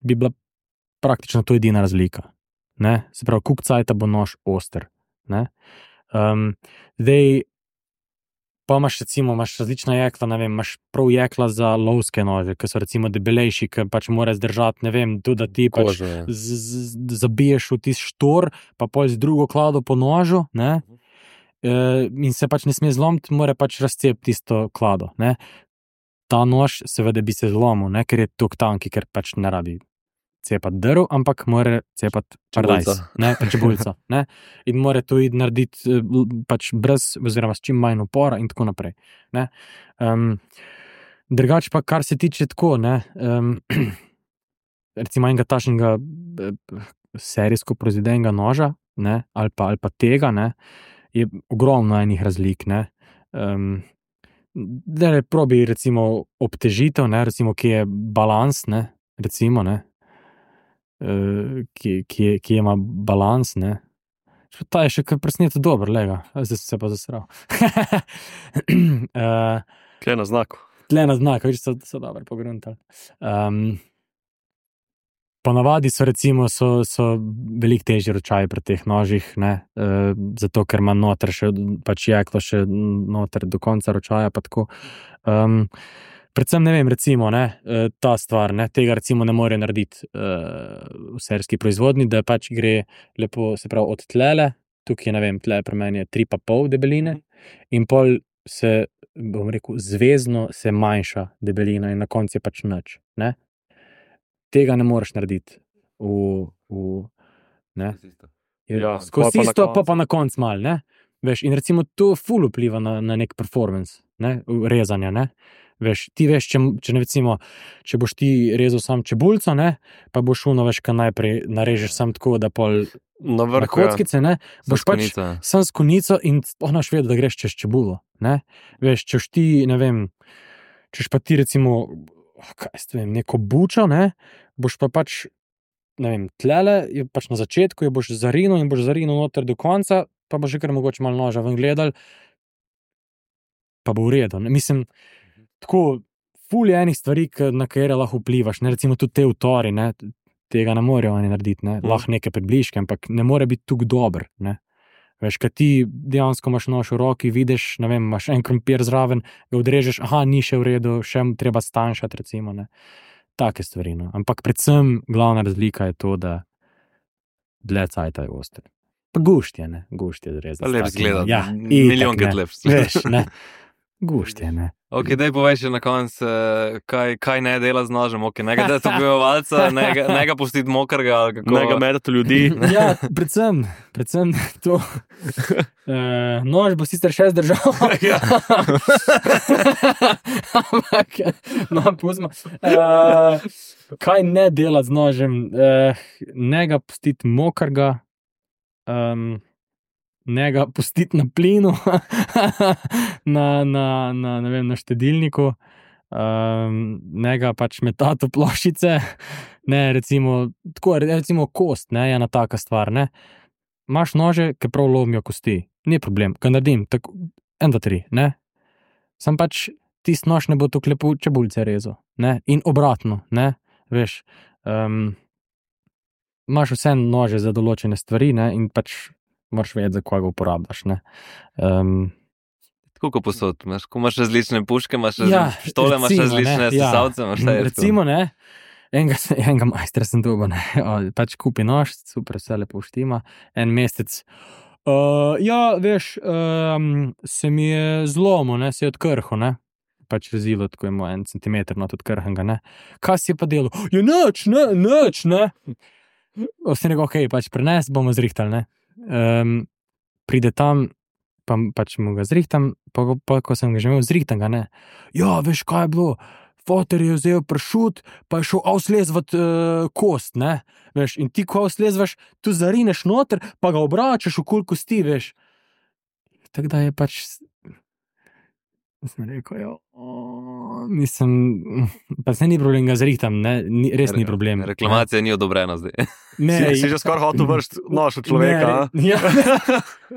bi bila praktično to edina razlika. Ne? Se pravi, koliko cajta bo nož oster. Ne? Um, zdaj, pa imaš recimo imaš različna jekla, ne vem, imaš prav jekla za lovske nože, ki so recimo debelejši, ki pač mora zdržati, ne vem, tudi da ti pač Kožo, ja. z, z, zabiješ v tisti štor, pa pol z drugo klado po nožu, ne? E, in se pač ne sme zlomiti, mora pač razcepiti tisto klado. Ne? Ta nož seveda bi se zlomil, ne? Ker je tok tanki, ker pač ne rabi cepati drv, ampak mora cepati paradajz, Čebulico. ne, pa čebulico, ne, in mora to iti narediti eh, l- pač brez, oziroma s čim manj upora in tako naprej, ne. Um, drugače pa, kar se tiče tako, ne, um, recimo enega tašnega eh, serijsko proizvedenega noža, ne, ali pa, ali pa tega, ne, je ogromno enih razlik, ne. Um, da ne probi recimo obtežitev, ne, recimo, ki je balans, ne, recimo, ne, uh, ki, ki, je, ki ima balans, ne. Še ta je še kar presneto dober, lega, zdaj sem se pa zasral. uh, Kje na znaku? tle na znak, viš, so, so dobro pogruntali. Um, ponavadi so recimo, so, so veliko težji ročaji pri teh nožih, ne, uh, zato ker ima noter še, pač jeklo še noter do konca ročaja, pa tako. Um, predvsem ne vem, recimo, ne, eh, ta stvar, ne, tega recimo ne more narediti uh, v serijski proizvodnji, da pač gre lepo, se pravi, od tlele, tukaj je, ne vem, tle pri meni je tri pa pol debeline in pol se, bom rekel, zvezno se manjša debelina in na koncu je pač nič, ne. Tega ne moreš narediti v, v ne. Je, Ja, skozi pol pa na isto, pa koncu. pa na koncu mal, ne. Veš, in recimo to ful vpliva na, na nek performance, ne, rezanja, ne. Veš, ti veš, če, če ne recimo, če boš ti rezal sam čebulco, ne, pa boš šuno, veš, kaj najprej narežeš sam tako, da pol Na na vrhu, ja. kockice, ne, boš pač Konica. sam s konico in onaš vedel, da greš čez čebulo, ne. Veš, češ ti, ne vem, češ pa ti recimo, kaj jaz vem, neko bučo, ne, boš pa pač, ne vem, tlele, je pač na začetku, je boš zarinil in boš zarinil noter do konca, pa boš že kar mogoče malo noža ven gledal, pa bo v redu, ne, mislim, tako, ful je enih stvari, k- na katere lahko vplivaš, ne, recimo tudi te utori, ne, tega ne morejo oni narediti, ne, Mhm. lahko neke približke, ampak ne more biti tako dober, ne. Veš, kad ti dejansko imaš nož v roki, vidiš, ne vem, imaš en krompir zraven, ga odrežeš, aha, ni še v redu, še mu treba stanjšati, recimo, ne. Take stvari, no. Ampak predvsem glavna razlika je to, da dlje cajta je oster. Pa gušt je, ne, gušt je zrezati. Pa lep zgleda, Ja, milijonkrat itak, ne. lepši. Veš, ne, gušt je, ne. Ok, daj povej še na koncu, eh, kaj, kaj ne dela z nožem, ok, ne ga dati ubivalca, ne ga, ne ga pustiti mokrega, ali kako. Ne ga medati ljudi. Ja, predvsem, predvsem to. Uh, nož bo sicer še zdržal. Ampak, no, pustimo. Uh, kaj ne dela z nožem? Uh, ne ga pustiti mokrega, um, ne ga pustiti na plinu, na, na, na, ne vem, na štedilniku, um, ne ga pač metati v ploščice, ne, recimo, tako, recimo kost, ne, je ena taka stvar, ne. Imaš nože, ki prav lomijo kosti, ni problem, ga naredim, tako, en, dva, tri, ne. Sam pač tisti nož ne bo tako lepo čebulce rezal, ne, in obratno, ne, veš, um, imaš vse nože za določene stvari, ne, in pač moraš vedeti, za koga uporabljaš, ne. Um, Tako kot posod, imaš, ko imaš različne puške, imaš Ja, različne pištole, imaš recimo, različne ne, ja. sesalce, imaš vse. recimo, ne, Enega, se- enega majstra sem dobil, ne. O, pač kupi nož, super, vse lepo štima, en mesec. Uh, ja, veš, um, se mi je zlomil, ne, se je odkrhal, ne. Pač rezilo, tako ima en centimeter not odkrhnega, ne. Kaj si je pa delal? Je nič, ne, nič, ne. Sem rekel, okej, pač prenes, bomo zrihtali, ne. Um, pride tam, pa pač mu ga zrihtam, pa, ko- pa ko sem ga že imel zrihtanega, ne. Ja, veš, kaj je bilo? Foter je vzel pršut, pa je šel avslezvat uh, kost, ne. Veš, in ti, ko avslezvaš, tu zarineš noter, pa ga obračaš okoli kosti, veš. Tako da je pač... Sem rekel, ja, o, mislim, pa se ni problem, ga zrihtam, ne, ni, res ni problem. Reklamacija ni odobrena zdaj. Ne, Si, si že skoraj hotel vršiti nož od človeka, a? ne, ja,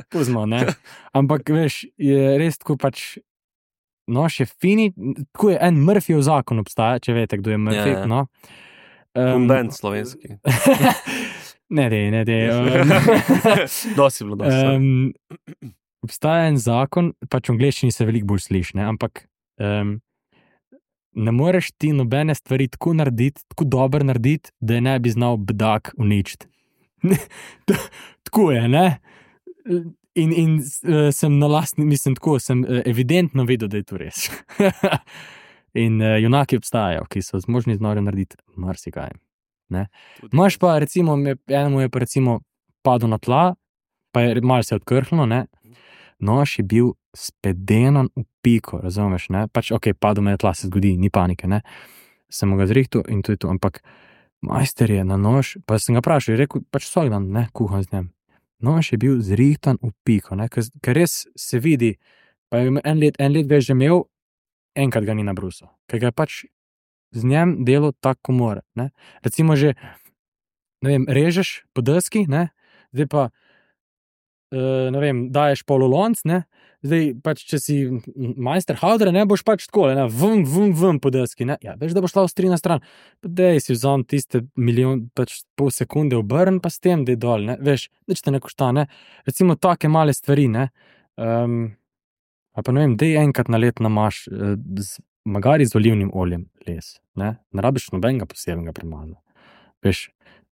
puzmo, ne. Ampak, veš, je res tako pač, nož je fini, tako je en Murphyjev zakon obstaja, če veste, kdo je Murphy, Ja, ja. no. Kundent slovenski. ne, dej, ne, dej. Um, Dosti bilo, dosti. um, obstaja en zakon, pač v angleščini se veliko bolj sliši, ne, ampak um, ne moreš ti nobene stvari tako narediti, tako dobro narediti, da je ne bi znal bedak uničiti. Tako je, ne? In, in uh, sem na lastni, mislim, tako, sem uh, evidentno vedel, da je to res. In uh, junaki obstajajo, ki so zmožni z nožem narediti marsikaj. Ne? Imaš pa, recimo, me- enemu je pa recimo padel na tla, pa je malo se je odkrhnilo, ne? Nož je bil spedenan v piko, razumeš, ne? Pač, ok, padel me je tla, se zgodi, ni panike, ne? Sem mu ga zrihtal in to je to, ampak majster je na nož, pa sem ga vprašal, je rekel, pač vsak dan, ne, kuham z njim. Nož je bil zrihtan v piko, ne, ker, ker res se vidi, pa je en let, en let več že imel, enkrat ga ni nabrusal, ker ga je pač z njim delo tako, ko mora, ne. Recimo že, ne vem, režeš po deski, ne, zdaj pa, uh, ne vem, daješ polulonc, ne, zdaj pač, če si majster havdre, ne, boš pač tako, ne, vum, vum, vum po deski, ne, ja, veš, da boš šla ostrina stran, pa dej si vzam tiste milijon, pač pol sekunde obrn, pa s tem, dej dol, ne, veš, nič te ne košta, ne, recimo take male stvari, ne, um, ali pa ne vem, dej enkrat na let namaš, uh, z, magari z olivnim oljem les, ne, ne rabiš nobenega posebnega premaza, veš,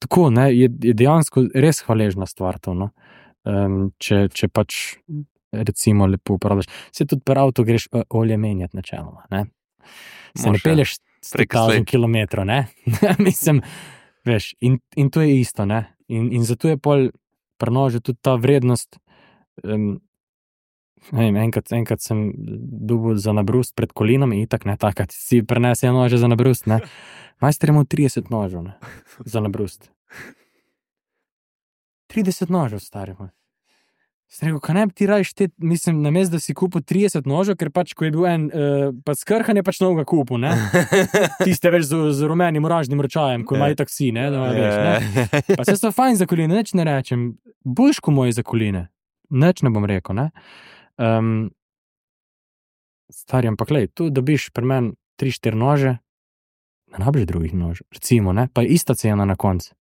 tako, ne, je, je dejansko res hvaležna stvar to, no. Um, če, če pač recimo lepo uporabljaš. Se tudi pri avtu greš uh, olje menjati načeloma, ne? Se Moš, ne pelješ sto Prek tisoč slej. kilometrov, ne? Mislim, veš, in, in to je isto, ne? In, in zato je pol pri nožu tudi ta vrednost, um, ne vem, enkrat, enkrat sem dobil za nabrust pred kolinom in itak, ne, takrat si prenese nože za nabrust, ne? Majster je imel trideset nožev, ne? Za nabrust. trideset nožev, stari moj. Sem rekel, kaj ne bi ti raje štet, mislim, namesto da si kupil trideset nožev, ker pač, ko je bil en, uh, pa skrhan je pač novega kupil, ne? Tiste več z, z rumenim oranžnim ročajem, ko ima itak vsi, ne? Da, veš, ne? Pa se so fajn za koline, nič ne rečem, boljš ko moji za koline, nič ne bom rekel, ne? Um, stari, ampak lej, tu dobiš pri meni tri štiri nože, ne rabiš drugih nožev, recimo, ne? Pa je ista cena na koncu,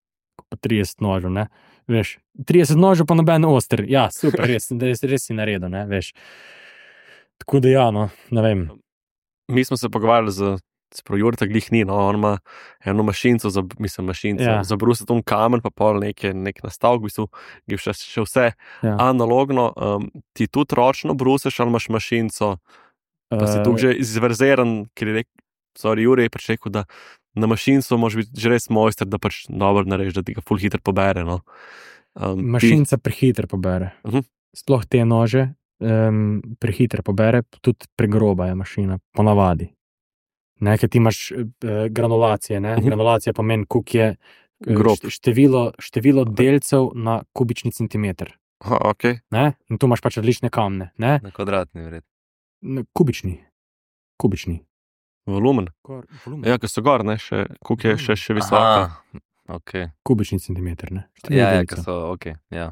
pa trideset nožev, ne? Veš, trideset nožev pa noben oster, ja, super, res, res, res si naredil, ne, veš. Tako da ja, no, ne vem. Mi smo se pogovarjali z, sprav Jurta glih ni, no, on ima eno mašinco, za, mislim mašinco, Ja. ja. za brusiti on kamen, pa pol neke, nek nastavk, v bistvu, je še, še vse Ja. analogno, um, ti tudi ročno brusiš, ali imaš mašinco, pa si Eh, tukaj že izverziran, ker je rekel, sorry, Jure je pač rekel, da na mašincu moraš biti že res mojster, da pač dobro narediš, da ti ga ful hitro pobere, no. Um, Mašinca prehitro pobere. Mhm. Sploh te nože um, prehitro pobere, tudi pregroba je mašina, ponavadi. Ne, ker ti imaš uh, granulacije, ne? Mhm. Granulacija pomeni, koliko je eh, Grob. št- število, število delcev na kubični centimeter. Ti, aha, okay. Ne? In tu imaš pač različne kamne, ne? Na kvadratni vred. N- Kubični. Kubični. Volumen. Kor, volumen. Ja, ker so gor, ne, še, koliko je še, še visoka. Aha, okay. Kubični centimeter, ne? Število Ja, ja, delcev. ker so, ok, ja.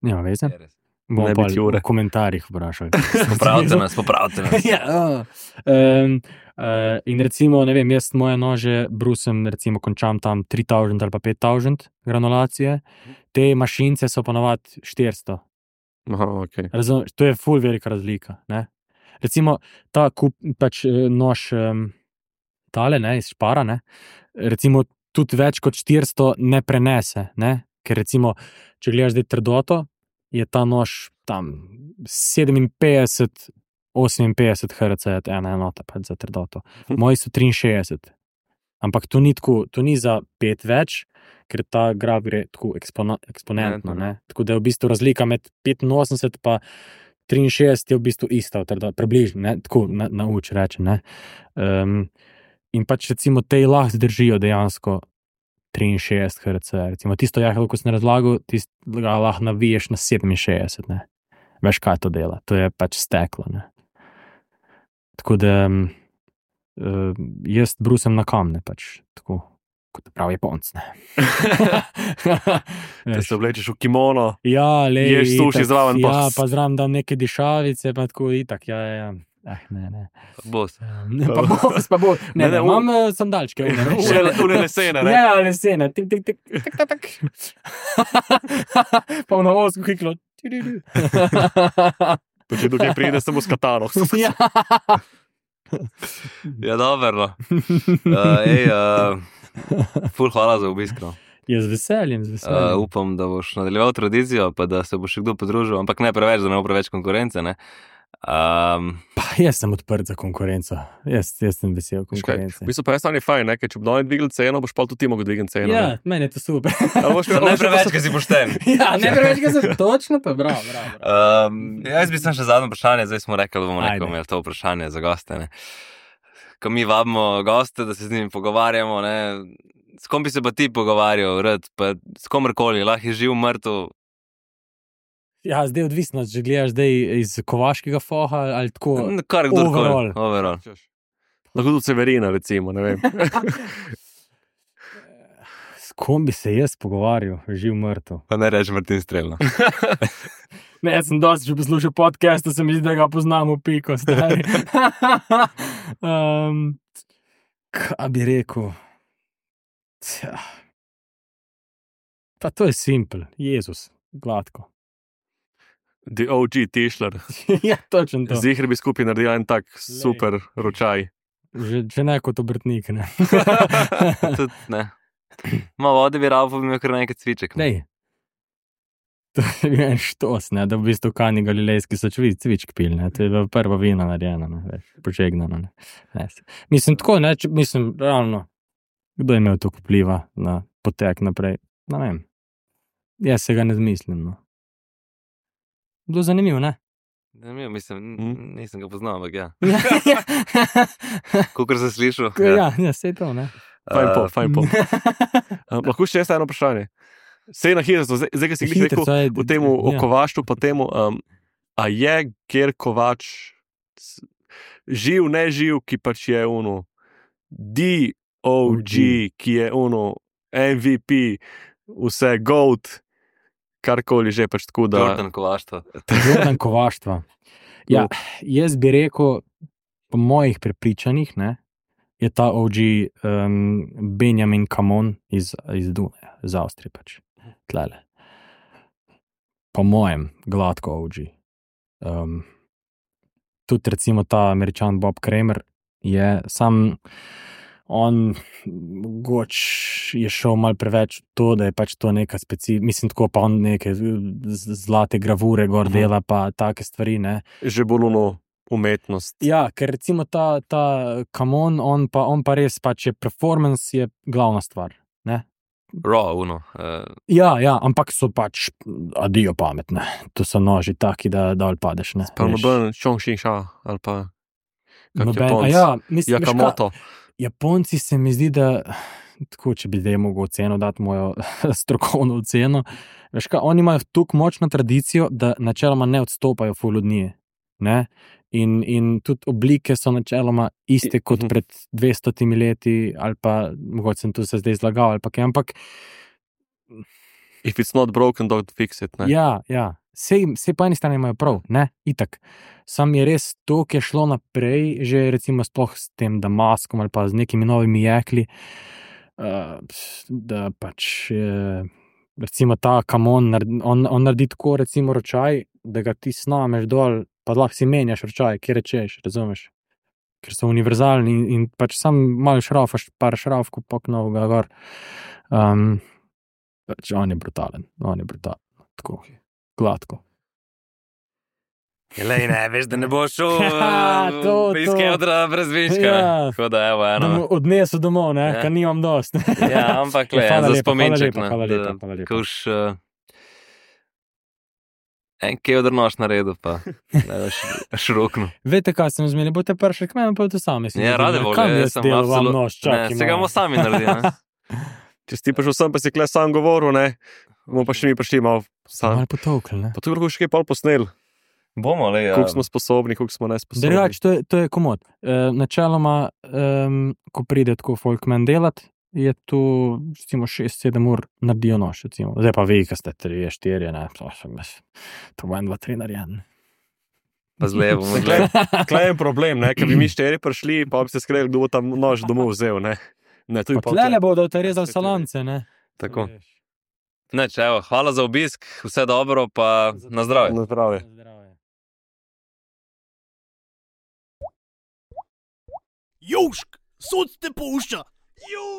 Nema veze. Je res. Bomo Ne pa biti Jure. v komentarjih vprašali. Popravite nas, popravite nas. ja, um, uh, in recimo, ne vem, jaz moje nože brusem, recimo končam tam tri tisoč ali pa pet tisoč granulacije, te mašince so ponovadi štiristo. Aha, okay. Razum, to je ful velika razlika, ne. Recimo ta kup, pač eh, nož um, tale, ne, iz špara, ne, recimo tudi več kot štiristo ne prenese, ne? Ker recimo, če gledaš zdaj trdoto, je ta nož tam sedeminpetdeset, oseminpetdeset hercev, ena enota pač za trdoto. Moji so triinšestdeset. Ampak to ni tako, to ni za pet več, ker ta graf gre tako ekspona, eksponentno, ne? Tako da je v bistvu razlika med petinosemdeset pa triinšestdeset je v bistvu ista, približno, ne? Tako na, nauč reče, ne? Um, in pač recimo te lahko zdržijo dejansko triinšestdeset hercev, recimo tisto jahlo, ko sem razlagal, tisto ga lahko naviješ na sedeminšestdeset, ne? Veš, kaj to dela, to je pač steklo, ne? Tako da uh, jaz brusem na kamne, pač tako, kot pravi Japonc, ne? Da se oblečeš v kimono, ja, lej, ješ suši zraven, pa... Ja, pa zraven dam neke dišavice, pa tako itak, ja, ja, ja. Eh, ne, ne. Bos. Ne, pa bos, pa bos. Ne, ne, ne, imam uh, sandalčke. Une lesene, ne? Ja, lesene. Tik, tik, tik, tik, tik, tik. Pa v navozku hiklo. Pa če dokaj pride, samo s katano. Ja. Ja, dobro. Uh, ej, uh, ful hvala za obisk, no. Ja, z veseljem, z veseljem. Uh, upam, da boš nadaljeval tradicijo, pa da se bo še kdo podružil, ampak ne preveč, da ne bo preveč konkurence, ne. Um, pa jaz sem odprt za konkurenco. Jaz, jaz sem vesel konkurence. V bistvu pa je stanje fajn, ne? Ker če bi dali dvigli ceno, boš pa tudi ti mogel dvigati ceno. Ja, ne? meni je to super. ne preveč, ker si pošten. Ja, ne preveč, ker si točno, pa bravo, bravo. bravo. Um, jaz bi sem še zadnje vprašanje, zdaj smo rekli, da bomo Ajde. neko imeli to vprašanje za goste, ne. Ko mi vabimo goste, da se z njimi pogovarjamo, ne, s kom bi se pa ti pogovarjal, rad, pa s komorkoli, lahko je živ, mrtev. Ja, zdaj je odvisno, če gledaš zdaj iz kovaškega foha ali tako. Kar kdorkoli. Overall. Overall. Lahko tudi Severina, recimo, ne vem. S kom bi se jaz pogovarjal, živ, mrtev? Pa ne reči Martin Strelno. Ne, jaz sem dosti že poslušal podcast, da se mi zdi, da ga poznam v piko, stari. um, kaj bi rekel? Tja. Pa to je simpel, Jezus, gladko. The O G Tischler. Ja, točno to. Zihar bi skupaj naredil en tak super ročaj. Že, že ne kot obrtnik, ne. Tudi ne. Malo vode bi rabo, pa bi imel kar nekaj cviček. Dej. To je bil en štos, ne, da v bistvu Kani Galilejski so čvi, cvičk pil, ne, to je bila prva vina narejena, ne, veš, požegnana, ne. ne. Mislim, tako, ne, če, mislim, realno, kdo je imel to vpliva na potek naprej, ne vem. Jaz se ga ne zmislim, no. Bilo zanimivo, ne? Zanimivo, mislim, nisem ga poznal, ampak ja. Ja, ja. Kakor sem slišal. Ja, ja, sej to, ne. Fajn po, fajn po. Um, lahko še eno vprašanje. Sej na hitro, zdaj, zdaj, ki si glih rekel v temu o ja. kovaštvu, pa temu, um, a je Ger Kovač živ, ne živ, ki pač je ono D O G, ki je ono M V P, vse GOAT, karkoli že pač tako, da... Jordan Kovaštva. Jordan Kovaštva. Ja, jaz bi rekel, po mojih prepričanjih, ne, je ta O G um, Benjamin Kamon iz, iz Dunaja, iz Avstrije pač. Tlele. Po mojem, gladko O G. Um, tudi recimo ta Američan Bob Kramer je sam, on mogoč je šel malo preveč to, da je pač to neka speci... Mislim, tako pa on neke zlate gravure gor dela, pa take stvari, ne. Že bolj ono umetnost. Ja, ker recimo ta, ta Kamon, on pa, on pa res pač je performance, je glavna stvar, ne. Raw, uno. Uh... Ja, ja, ampak so pač adijo pametne. To so noži taki, da dol padeš, ne. Pa noben Chong Xing Sha, ali pa kak Noben, Japonc. a ja, mislim, veš Yakamoto. Japonci se mi zdi, da tako, če bi zdaj mogel oceno dati mojo strokovno oceno, veš kaj, oni imajo tako močno tradicijo, da načeloma ne odstopajo ful od nje, ne, in, in tudi oblike so načeloma iste kot pred dvestotimi leti, ali pa, mogoče sem tu se zdaj zlagal, ali pa kaj, ampak If it's not broken, don't fix it, ne. ja, ja, sej, sej po eni strani imajo prav, ne, itak. Sam je res to, ki je šlo naprej, že recimo sploh s tem Damaskom ali pa z nekimi novimi jekli, uh, da pač uh, recimo ta Kamon, on, on naredi tako recimo ročaj, da ga ti snameš dol, pa lahko si menjaš ročaj, kje rečeš, razumeš? ker so univerzalni in, in pač sam malo šraufaš, par šraufku poknov ga gor. Um, pač on je brutalen, on je brutalen, tako, gladko. Lej, ne, veš, da ne boš šel To, iz to. Keldra brez viška. Ja. Tako da, evo, eno. Dom- Odnesel domov, ne, Ja. ker nimam dost. Ja, ampak, le, Hvala za lepa, spominček, hvala lepa, ne, hvala lepa, da- hvala lepa. Kuš, uh, en Keldr nož naredil, pa ne veš, širokno. Veste, kaj sem zmeni, boste prišli k meni, pa boste sami. si Ja, naredili. rade volje, Kam jaz jaz sem delal vam absolut- nož, Ne, čakaj se ga bomo malo. sami naredili, ne. Če si ti prišel sem, pa si kle sam govoril, ne, bomo pa še mi prišli malo sam. Malo potolkli, ne. Pa tu lahko še kaj pol posnel, Bomo, le, ja. koliko smo sposobni, koliko smo nesposobni. Drugač, to, je- to je komod. E, načeloma, um, ko pride tako folkman delat, je tu, recimo, šest sedem ur naredijo nož, recimo. Zdaj pa vi, ki ste tri, štiri, ne, to sem jaz, to bo en, dva, tri narejen. Pa z levo, Kle, gled. kle je en problem, ne, ker bi mi štiri prišli, pa bi se skregli, kdo bo tam nož domov vzel, ne. Ne, tu je pa Tlele bodo te rezali salance, ne. Tako. Ne, če, evo, hvala za obisk, vse dobro, pa na zdravje. Na zdravje. Južk, sod te pušča. Južk.